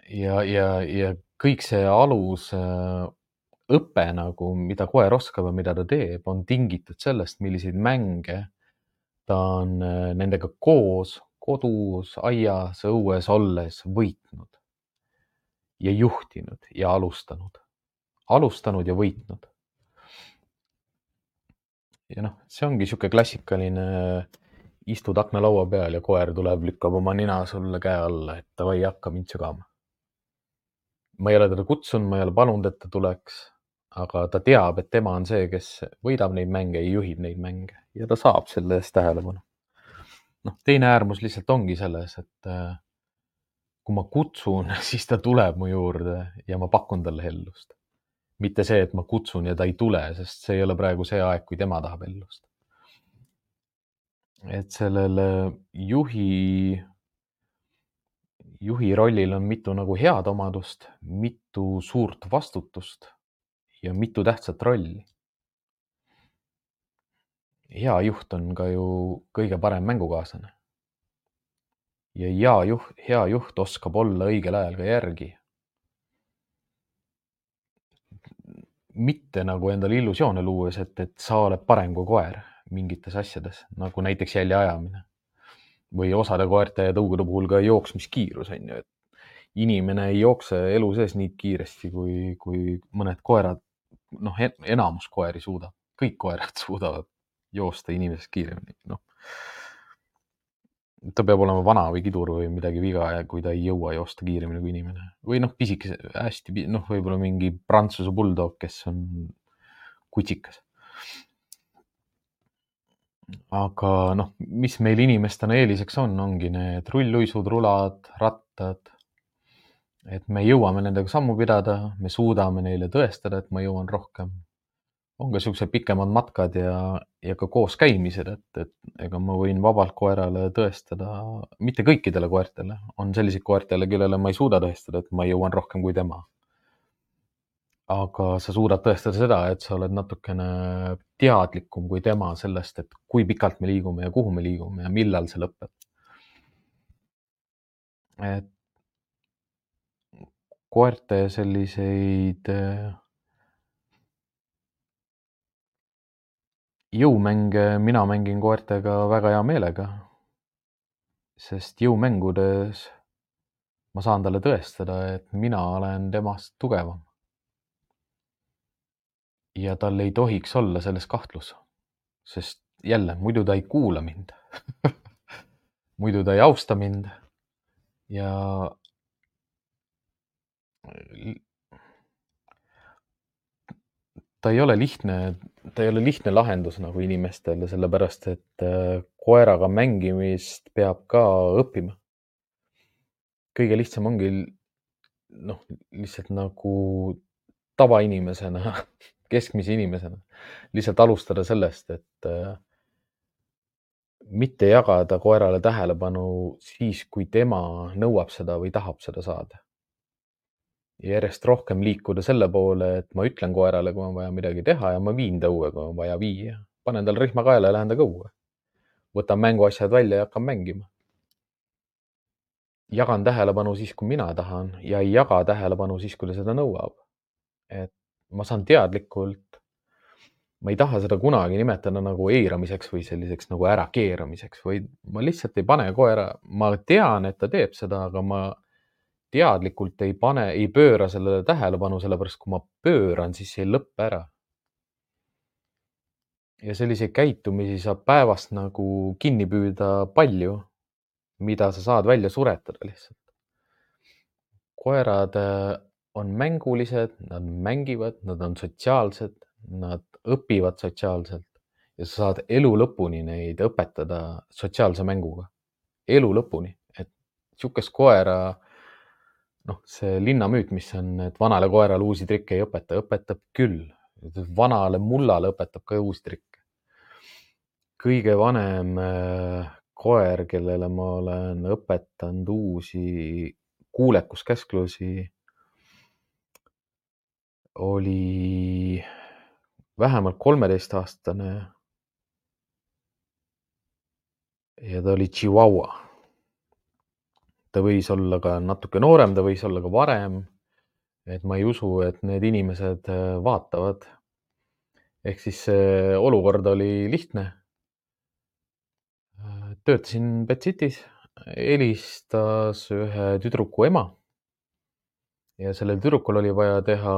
Ja kõik see alus õpe nagu, mida koer oskab ja mida ta teeb, on tingitud sellest, milliseid mänge ta on nendega koos kodus, aias, õues olles võitnud ja juhtinud ja alustanud ja võitnud. Ja noh, see ongi sihuke klassikaline, istud aknalaua peal ja koer tuleb, lükkab oma nina sulle käe alla, et davai, hakka mind sügama. Ma ei ole teda kutsunud, ma ei ole palunud, et ta tuleks, aga ta teab, et tema on see, kes võidab neid mänge ja juhib neid mänge ja ta saab selle eest tähelepanu. Noh, teine äärmus lihtsalt ongi selles, et kui ma kutsun, siis ta tuleb mu juurde ja ma pakun talle hellust. Mitte see, et ma kutsun ja ta ei tule, sest see ei ole praegu see aeg, kui tema tahab hellust. Et sellele juhi rollil on mitu nagu head omadust, mitu suurt vastutust ja mitu tähtsat rolli. Hea juht on ka ju kõige parem mängukaaslane. Ja hea juht oskab olla õigel ajal ka järgi. Mitte nagu endale illusioone luues, et sa oled parem kui koer mingites asjades, nagu näiteks jälje ajamine. Või osade koerte ja tõugude puhul ka jooksmiskiirus on ju, et inimene ei jookse elu sees nii kiiresti, kui mõned koerad, noh, enamus koeri suudab. Kõik koerad suudavad joosta inimesest kiiremini, noh. Ta peab olema vana või kidur või midagi viga, kui ta ei jõua joosta kiiremini kui inimene. Või noh, pisikese, hästi, noh, võib-olla mingi Prantsuse bulldog, kes on kutsikas. Aga noh, mis meil inimestena eeliseks ongi need rulluisud, rulad, rattad. Et me jõuame nendega sammu pidada, me suudame neile tõestada, et ma jõuan rohkem. On ka siuksed pikemad matkad ja ka koos käimised, et ega ma võin vabalt koerale tõestada, mitte kõikidele koertele, on selliseid koertele, kellele ma ei suuda tõestada, et ma jõuan rohkem kui tema. Aga sa suudad tõestada seda, et sa oled natukene teadlikum kui tema sellest, et kui pikalt me liigume ja kuhu me liigume ja millal see lõpeb. Et koerte selliseid jõumänge mina mängin koertega väga hea meelega, sest jõumängudes ma saan talle tõestada, et mina olen temast tugevam. Ja tal ei tohiks olla selles kahtlus, sest jälle, muidu ta ei kuula mind muidu ta ei austa mind ja ta ei ole lihtne lahendus nagu inimestele, sellepärast et koeraga mängimist peab ka õppima. Kõige lihtsam ongi lihtsalt nagu tavainimesena, keskmise inimesena, lihtsalt alustada sellest, et mitte jagada koerale tähelepanu siis, kui tema nõuab seda või tahab seda saada. Ja järjest rohkem liikuda selle poole, et ma ütlen koerale, kui on vaja midagi teha ja ma viin ta õue, kui on vaja viia. Panen tal rihma kaela ja lähen temaga õue. Võtan mänguasjad välja ja hakkan mängima. Jagan tähelepanu siis, kui mina tahan ja ei jaga tähelepanu siis, kui ta seda nõuab. Et ma saan teadlikult, ma ei taha seda kunagi nimetada nagu eiramiseks või selliseks nagu ärakeeramiseks, või ma lihtsalt ei pane koera, ma tean, et ta teeb seda, aga ma teadlikult ei pööra sellele tähelepanu, sellepärast kui ma pööran, siis see ei lõppe ära. Ja selliseid käitumisi saab päevast nagu kinni püüda palju, mida sa saad välja suretada lihtsalt. Koerad on mängulised, nad mängivad, nad on sotsiaalsed, nad õpivad sotsiaalselt ja sa saad elu lõpuni neid õpetada sotsiaalse mänguga. Elu lõpuni. Et sihukest koera, see linnamüüt, mis on, et vanale koerale uusi trikke ei õpeta, õpetab küll. Vanale mullale õpetab ka uusi trikke. Kõige vanem koer, kellele ma olen õpetanud uusi kuulekuskäsklusi, oli vähemalt 13-aastane ja ta oli Chihuahua. Ta võis olla ka natuke noorem, ta võis olla ka varem. Et ma ei usu, et need inimesed vaatavad. Ehk siis see olukord oli lihtne. Töötasin Betsitis, helistas ühe tüdruku ema ja sellel tüdrukul oli vaja teha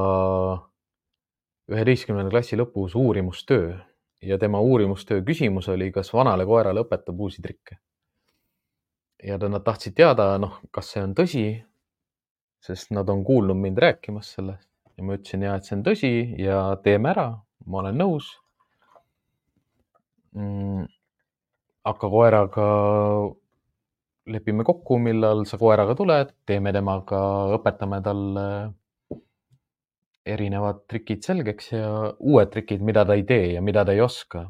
11. klassi lõpus uurimustöö ja tema uurimustöö küsimus oli, kas vanale koerale õpetab uusi trikke. Ja nad tahtsid teada, kas see on tõsi, sest nad on kuulnud mind rääkimas sellest ja ma ütlesin, et see on tõsi ja teeme ära, ma olen nõus. Hakka koeraga, lepime kokku, millal sa koeraga tuled, teeme temaga, õpetame talle erinevad trikid selgeks ja uued trikid, mida ta ei tee ja mida ta ei oska.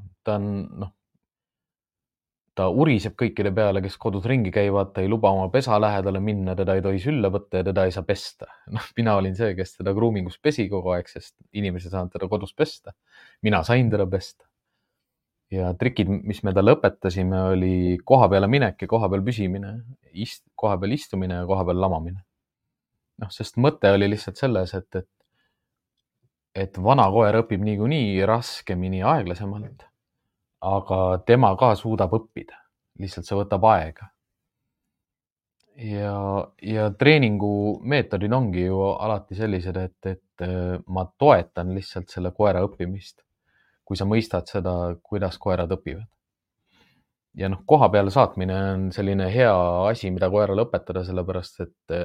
Ta uriseb kõikide peale, kes kodus ringi käivad, ta ei luba oma pesa lähedale minna, teda ei tohi sülle võtta ja teda ei saa pesta. Mina olin see, kes teda groomingus pesi kogu aeg, sest inimesed ei saanud teda kodus pesta. Mina sain teda pesta. Ja trikid, mis me talle õpetasime, oli koha peale minek ja koha peal püsimine, koha peal istumine ja koha peal lamamine. Sest mõte oli lihtsalt selles, et vana koer õpib niikuinii raskemini aeglasemalt, aga tema ka suudab õppida. Lihtsalt see võtab aega. Ja treeningu meetodid ongi ju alati sellised, et ma toetan lihtsalt selle koera õppimist, kui sa mõistad seda, kuidas koerad õpivad. Ja koha peale saatmine on selline hea asi, mida koerale õpetada, sellepärast et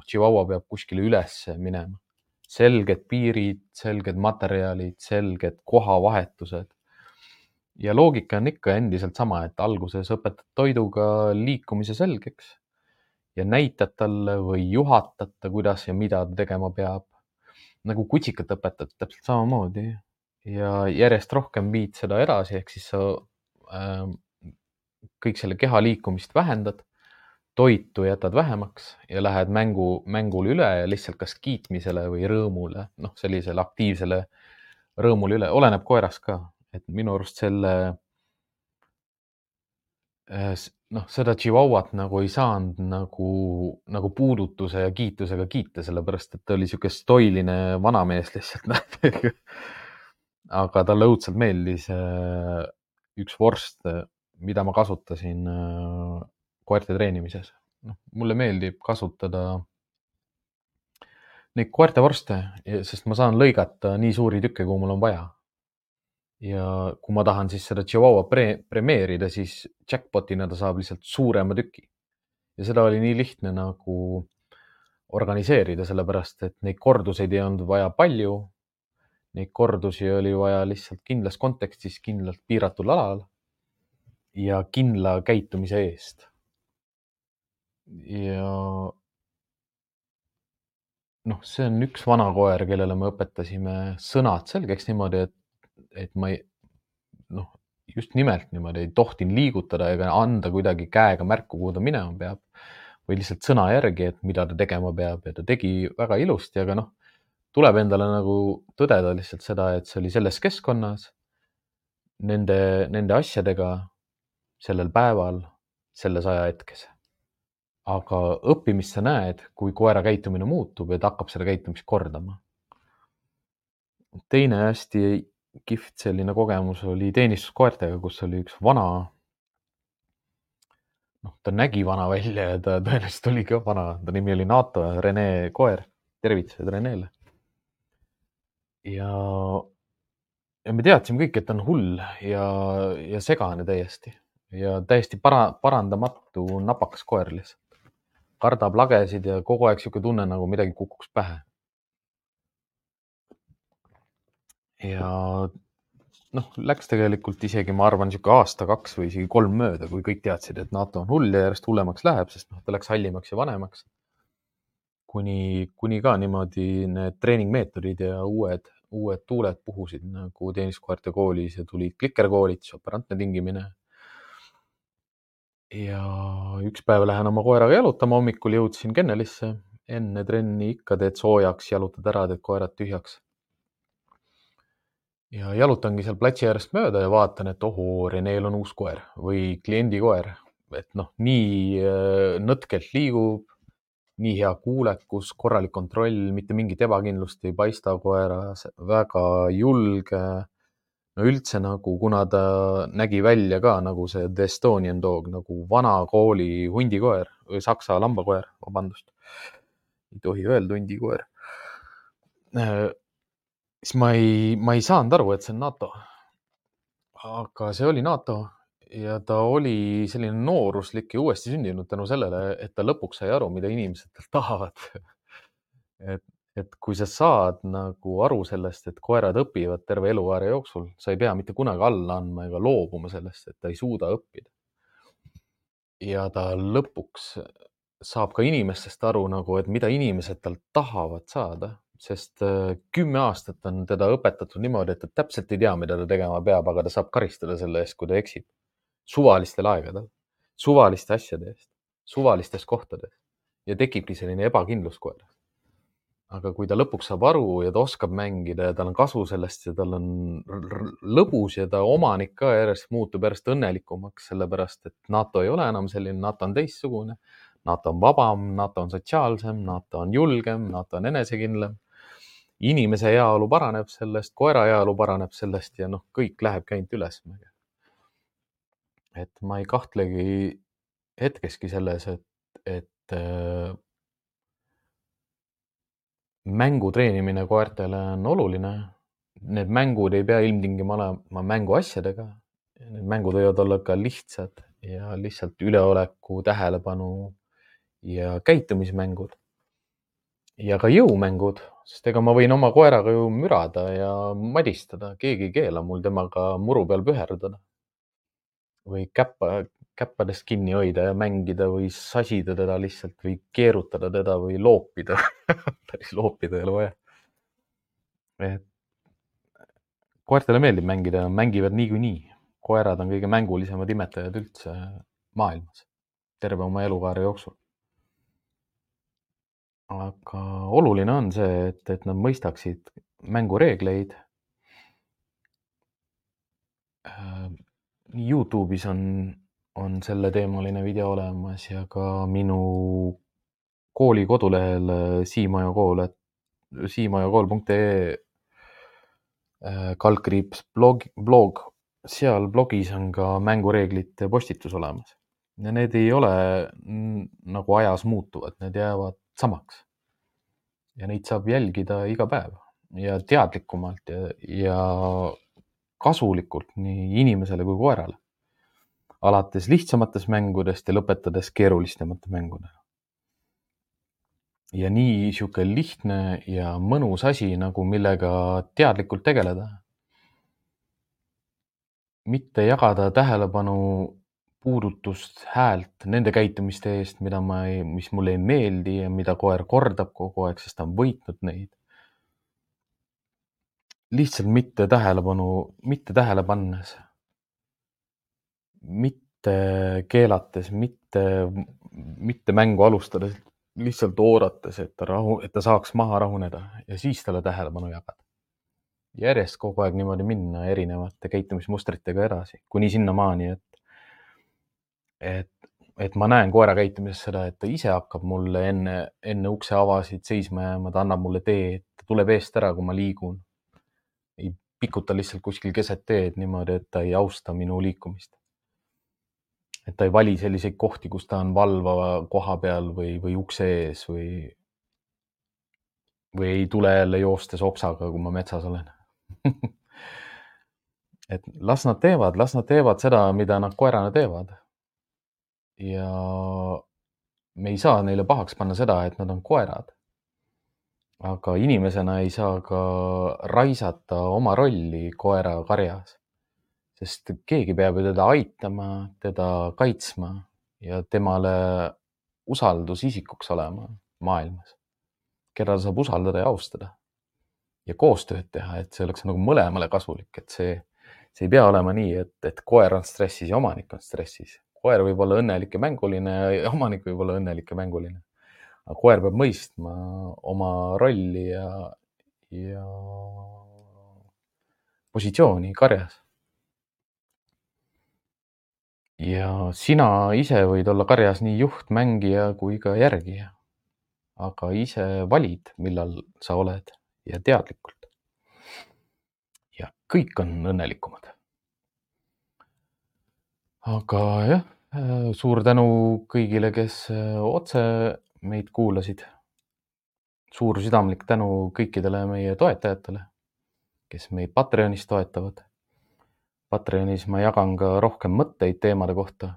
Chihuahua peab kuskile üles minema. Selged piirid, selged materjalid, selged kohavahetused. Ja loogika on ikka endiselt sama, et alguses õpetad toiduga liikumise selgeks ja näitad talle või juhatad ta, kuidas ja mida ta tegema peab. Nagu kutsikat õpetad täpselt samamoodi ja järjest rohkem viid seda edasi, ehk siis sa kõik selle keha liikumist vähendad, toitu jätad vähemaks ja lähed mängule üle ja lihtsalt kas kiitmisele või rõõmule, sellisele aktiivsele rõõmule üle, oleneb koerast ka, et minu arust seda Chihuahuat nagu ei saanud nagu puudutuse ja kiitusega kiita, sellepärast et ta oli siuke stoiline vanamees lihtsalt. Aga talle õudselt meeldis üks vorst, mida ma kasutasin koerte treenimises. mulle meeldib kasutada neid koertevorste, sest ma saan lõigata nii suuri tükke, kui mul on vaja. Ja kui ma tahan siis seda Chihuahua premeerida, siis jackpotina ta saab lihtsalt suurema tüki. Ja seda oli nii lihtne nagu organiseerida, sellepärast et neid korduseid ei olnud vaja palju. Neid kordusi oli vaja lihtsalt kindlas kontekstis, kindlalt piiratud alal ja kindla käitumise eest. Ja see on üks vana koer, kellele me õpetasime sõnad selgeks niimoodi, et ma ei, just nimelt niimoodi ei tohtinud liigutada ega anda kuidagi käega märku, kuhu ta minema peab või lihtsalt sõna järgi, et mida ta tegema peab ja ta tegi väga ilusti, aga tuleb endale nagu tõdeda lihtsalt seda, et see oli selles keskkonnas, nende asjadega sellel päeval, selles ajahetkes. Aga õppimist sa näed, kui koera käitumine muutub ja ta hakkab seda käitumist kordama. Teine hästi kihvt selline kogemus oli teenistuskoertega, kus oli üks vana, ta nägi vana välja ja ta tõenäoliselt oli ka vana. Ta nimi oli NATO, Rene koer. Tervitused Renele. Ja me teadsime kõik, et ta on hull ja segane täiesti. Ja täiesti parandamatu napakas koer lihtsalt. Kardab lagesid ja kogu aeg siuke tunne, nagu midagi kukuks pähe. Ja läks tegelikult isegi, ma arvan, siuke aasta, 2 või isegi 3 mööda, kui kõik teadsid, et NATO on hull ja järjest hullemaks läheb, sest ta läks hallimaks ja vanemaks. Kuni ka niimoodi need treeningmeetodid ja uued tuuled puhusid nagu teenistuskoerte koolis ja tulid klikerkoolitus, operantne tingimine. Ja üks päev lähen oma koeraga jalutama, hommikul jõudsin kennelisse, enne trenni ikka teed soojaks, jalutad ära, teed koerad tühjaks. Ja jalutangi seal platsi äärest mööda ja vaatan, et ohoo, Reneel on uus koer või kliendi koer. Et nii nõtkelt liigub, nii hea kuulekus, korralik kontroll, mitte mingit ebakindlust ei paista koeras, väga julge. No üldse nagu, kuna ta nägi välja ka nagu see The Estonian Dog, nagu vana kooli hundikoer või saksa lambakoer, vabandust. Ei tohi öelda hundikoer. Siis ma ei saanud aru, et see on NATO. Aga see oli NATO ja ta oli selline nooruslik ja uuesti sündinud tänu sellele, et ta lõpuks sai aru, mida inimesed talt tahavad. Et kui sa saad nagu aru sellest, et koerad õpivad terve elukaare jooksul, sa ei pea mitte kunagi alla andma ega loobuma sellest, et ta ei suuda õppida. Ja ta lõpuks saab ka inimestest aru nagu, et mida inimesed talt tahavad saada, sest 10 aastat on teda õpetatud niimoodi, et ta täpselt ei tea, mida ta tegema peab, aga ta saab karistada selle eest, kui ta eksib. Suvalistel aegadel, suvaliste asjade eest, suvalistes kohtades ja tekibki selline ebakindlus koeras. Aga kui ta lõpuks saab aru ja ta oskab mängida ja tal on kasu sellest ja tal on lõbus ja ta omanik ka järjest muutub järjest õnnelikumaks, sellepärast et NATO ei ole enam selline, NATO on teistsugune, NATO on vabam, NATO on sotsiaalsem, NATO on julgem, NATO on enesekindlam. Inimese heaolu paraneb sellest, koera heaolu paraneb sellest ja kõik lähebki ainult üles. Et ma ei kahtlegi hetkeski selles, et mängu treenimine koertele on oluline. Need mängud ei pea ilmtingima olema mänguasjadega. Need mängud võivad olla ka lihtsad ja lihtsalt üleoleku, tähelepanu ja käitumismängud. Ja ka jõumängud, sest ega ma võin oma koeraga ju mürada ja madistada. Keegi ei keela mul temaga muru peal püherdada. Või käppadest kinni hoida ja mängida või sasida teda lihtsalt või keerutada teda või loopida. Päris loopida ei ole vaja. Koertele meeldib mängida, mängivad niikuinii. Koerad on kõige mängulisemad imetajad üldse maailmas, terve oma elukaare jooksul. Aga oluline on see, et nad mõistaksid mängureegleid. YouTube'is on selle teemaline video olemas ja ka minu kooli kodulehel siimajakool.ee /blog. Seal blogis on ka mängureeglite postitus olemas. ja need ei ole nagu ajas muutuvad, need jäävad samaks. Ja neid saab jälgida iga päev ja teadlikumalt ja kasulikult nii inimesele kui koerale. Alates lihtsamatest mängudest ja lõpetades keerulisemate mängudega. Ja nii sihuke lihtne ja mõnus asi, nagu millega teadlikult tegeleda. Mitte jagada tähelepanu, puudutust, häält nende käitumiste eest, mis mulle ei meeldi ja mida koer kordab kogu aeg, sest ta on võitnud neid. Lihtsalt mitte tähele pannes, mitte keelates, mitte mängu alustades, lihtsalt oodates, et ta saaks maha rahuneda ja siis talle tähelepanu jagada. Järjest kogu aeg niimoodi minna erinevate käitumismustritega edasi, kuni sinnamaani, et ma näen koera käitumises seda, et ta ise hakkab mulle enne ukse avasid seisma jääma, ta annab mulle teed, ta tuleb eest ära, kui ma liigun. Ei pikuta lihtsalt kuskil keset teed niimoodi, et ta ei austa minu liikumist. Et ta ei vali selliseid kohti, kus ta on valvava koha peal või ukse ees või ei tule jälle joostes opsaga, kui ma metsas olen. Et las nad teevad seda, mida nad koerana teevad. Ja me ei saa neile pahaks panna seda, et nad on koerad. Aga inimesena ei saa ka raisata oma rolli koera karjas. Sest keegi peab ju teda aitama, teda kaitsma ja temale usaldusisikuks olema maailmas, keda saab usaldada ja austada ja koostööd teha, et see oleks nagu mõlemale kasulik, et see ei pea olema nii, et koer on stressis ja omanik on stressis. Koer võib olla õnnelik ja mänguline ja omanik võib olla õnnelik ja mänguline. Aga koer peab mõistma oma rolli ja positsiooni karjas. Ja sina ise võid olla karjas nii juht, mängija kui ka järgija. Aga ise valid, millal sa oled ja teadlikult. Ja kõik on õnnelikumad. Aga jah, suur tänu kõigile, kes otse meid kuulasid. Suur südamlik tänu kõikidele meie toetajatele, kes meid Patreonis toetavad. Patreonis ma jagan ka rohkem mõtteid teemade kohta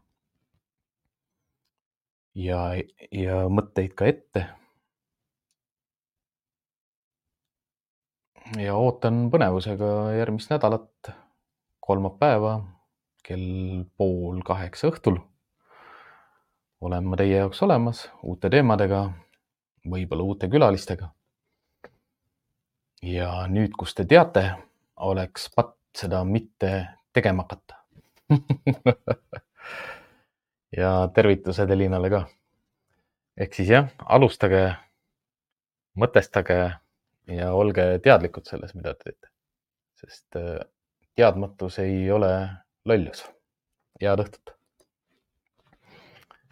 ja mõtteid ka ette. Ja ootan põnevusega järgmist nädalat, kolmapäeva kell 7:30 õhtul. Olen ma teie jaoks olemas uute teemadega, võib-olla uute külalistega. Ja nüüd, kus te teate, oleks patt seda mitte tegema hakata. Ja tervitused Elinale ka. Ehk siis jah, alustage, mõtestage ja olge teadlikud selles, mida te teete. Sest teadmatus ei ole lollus. Head õhtut!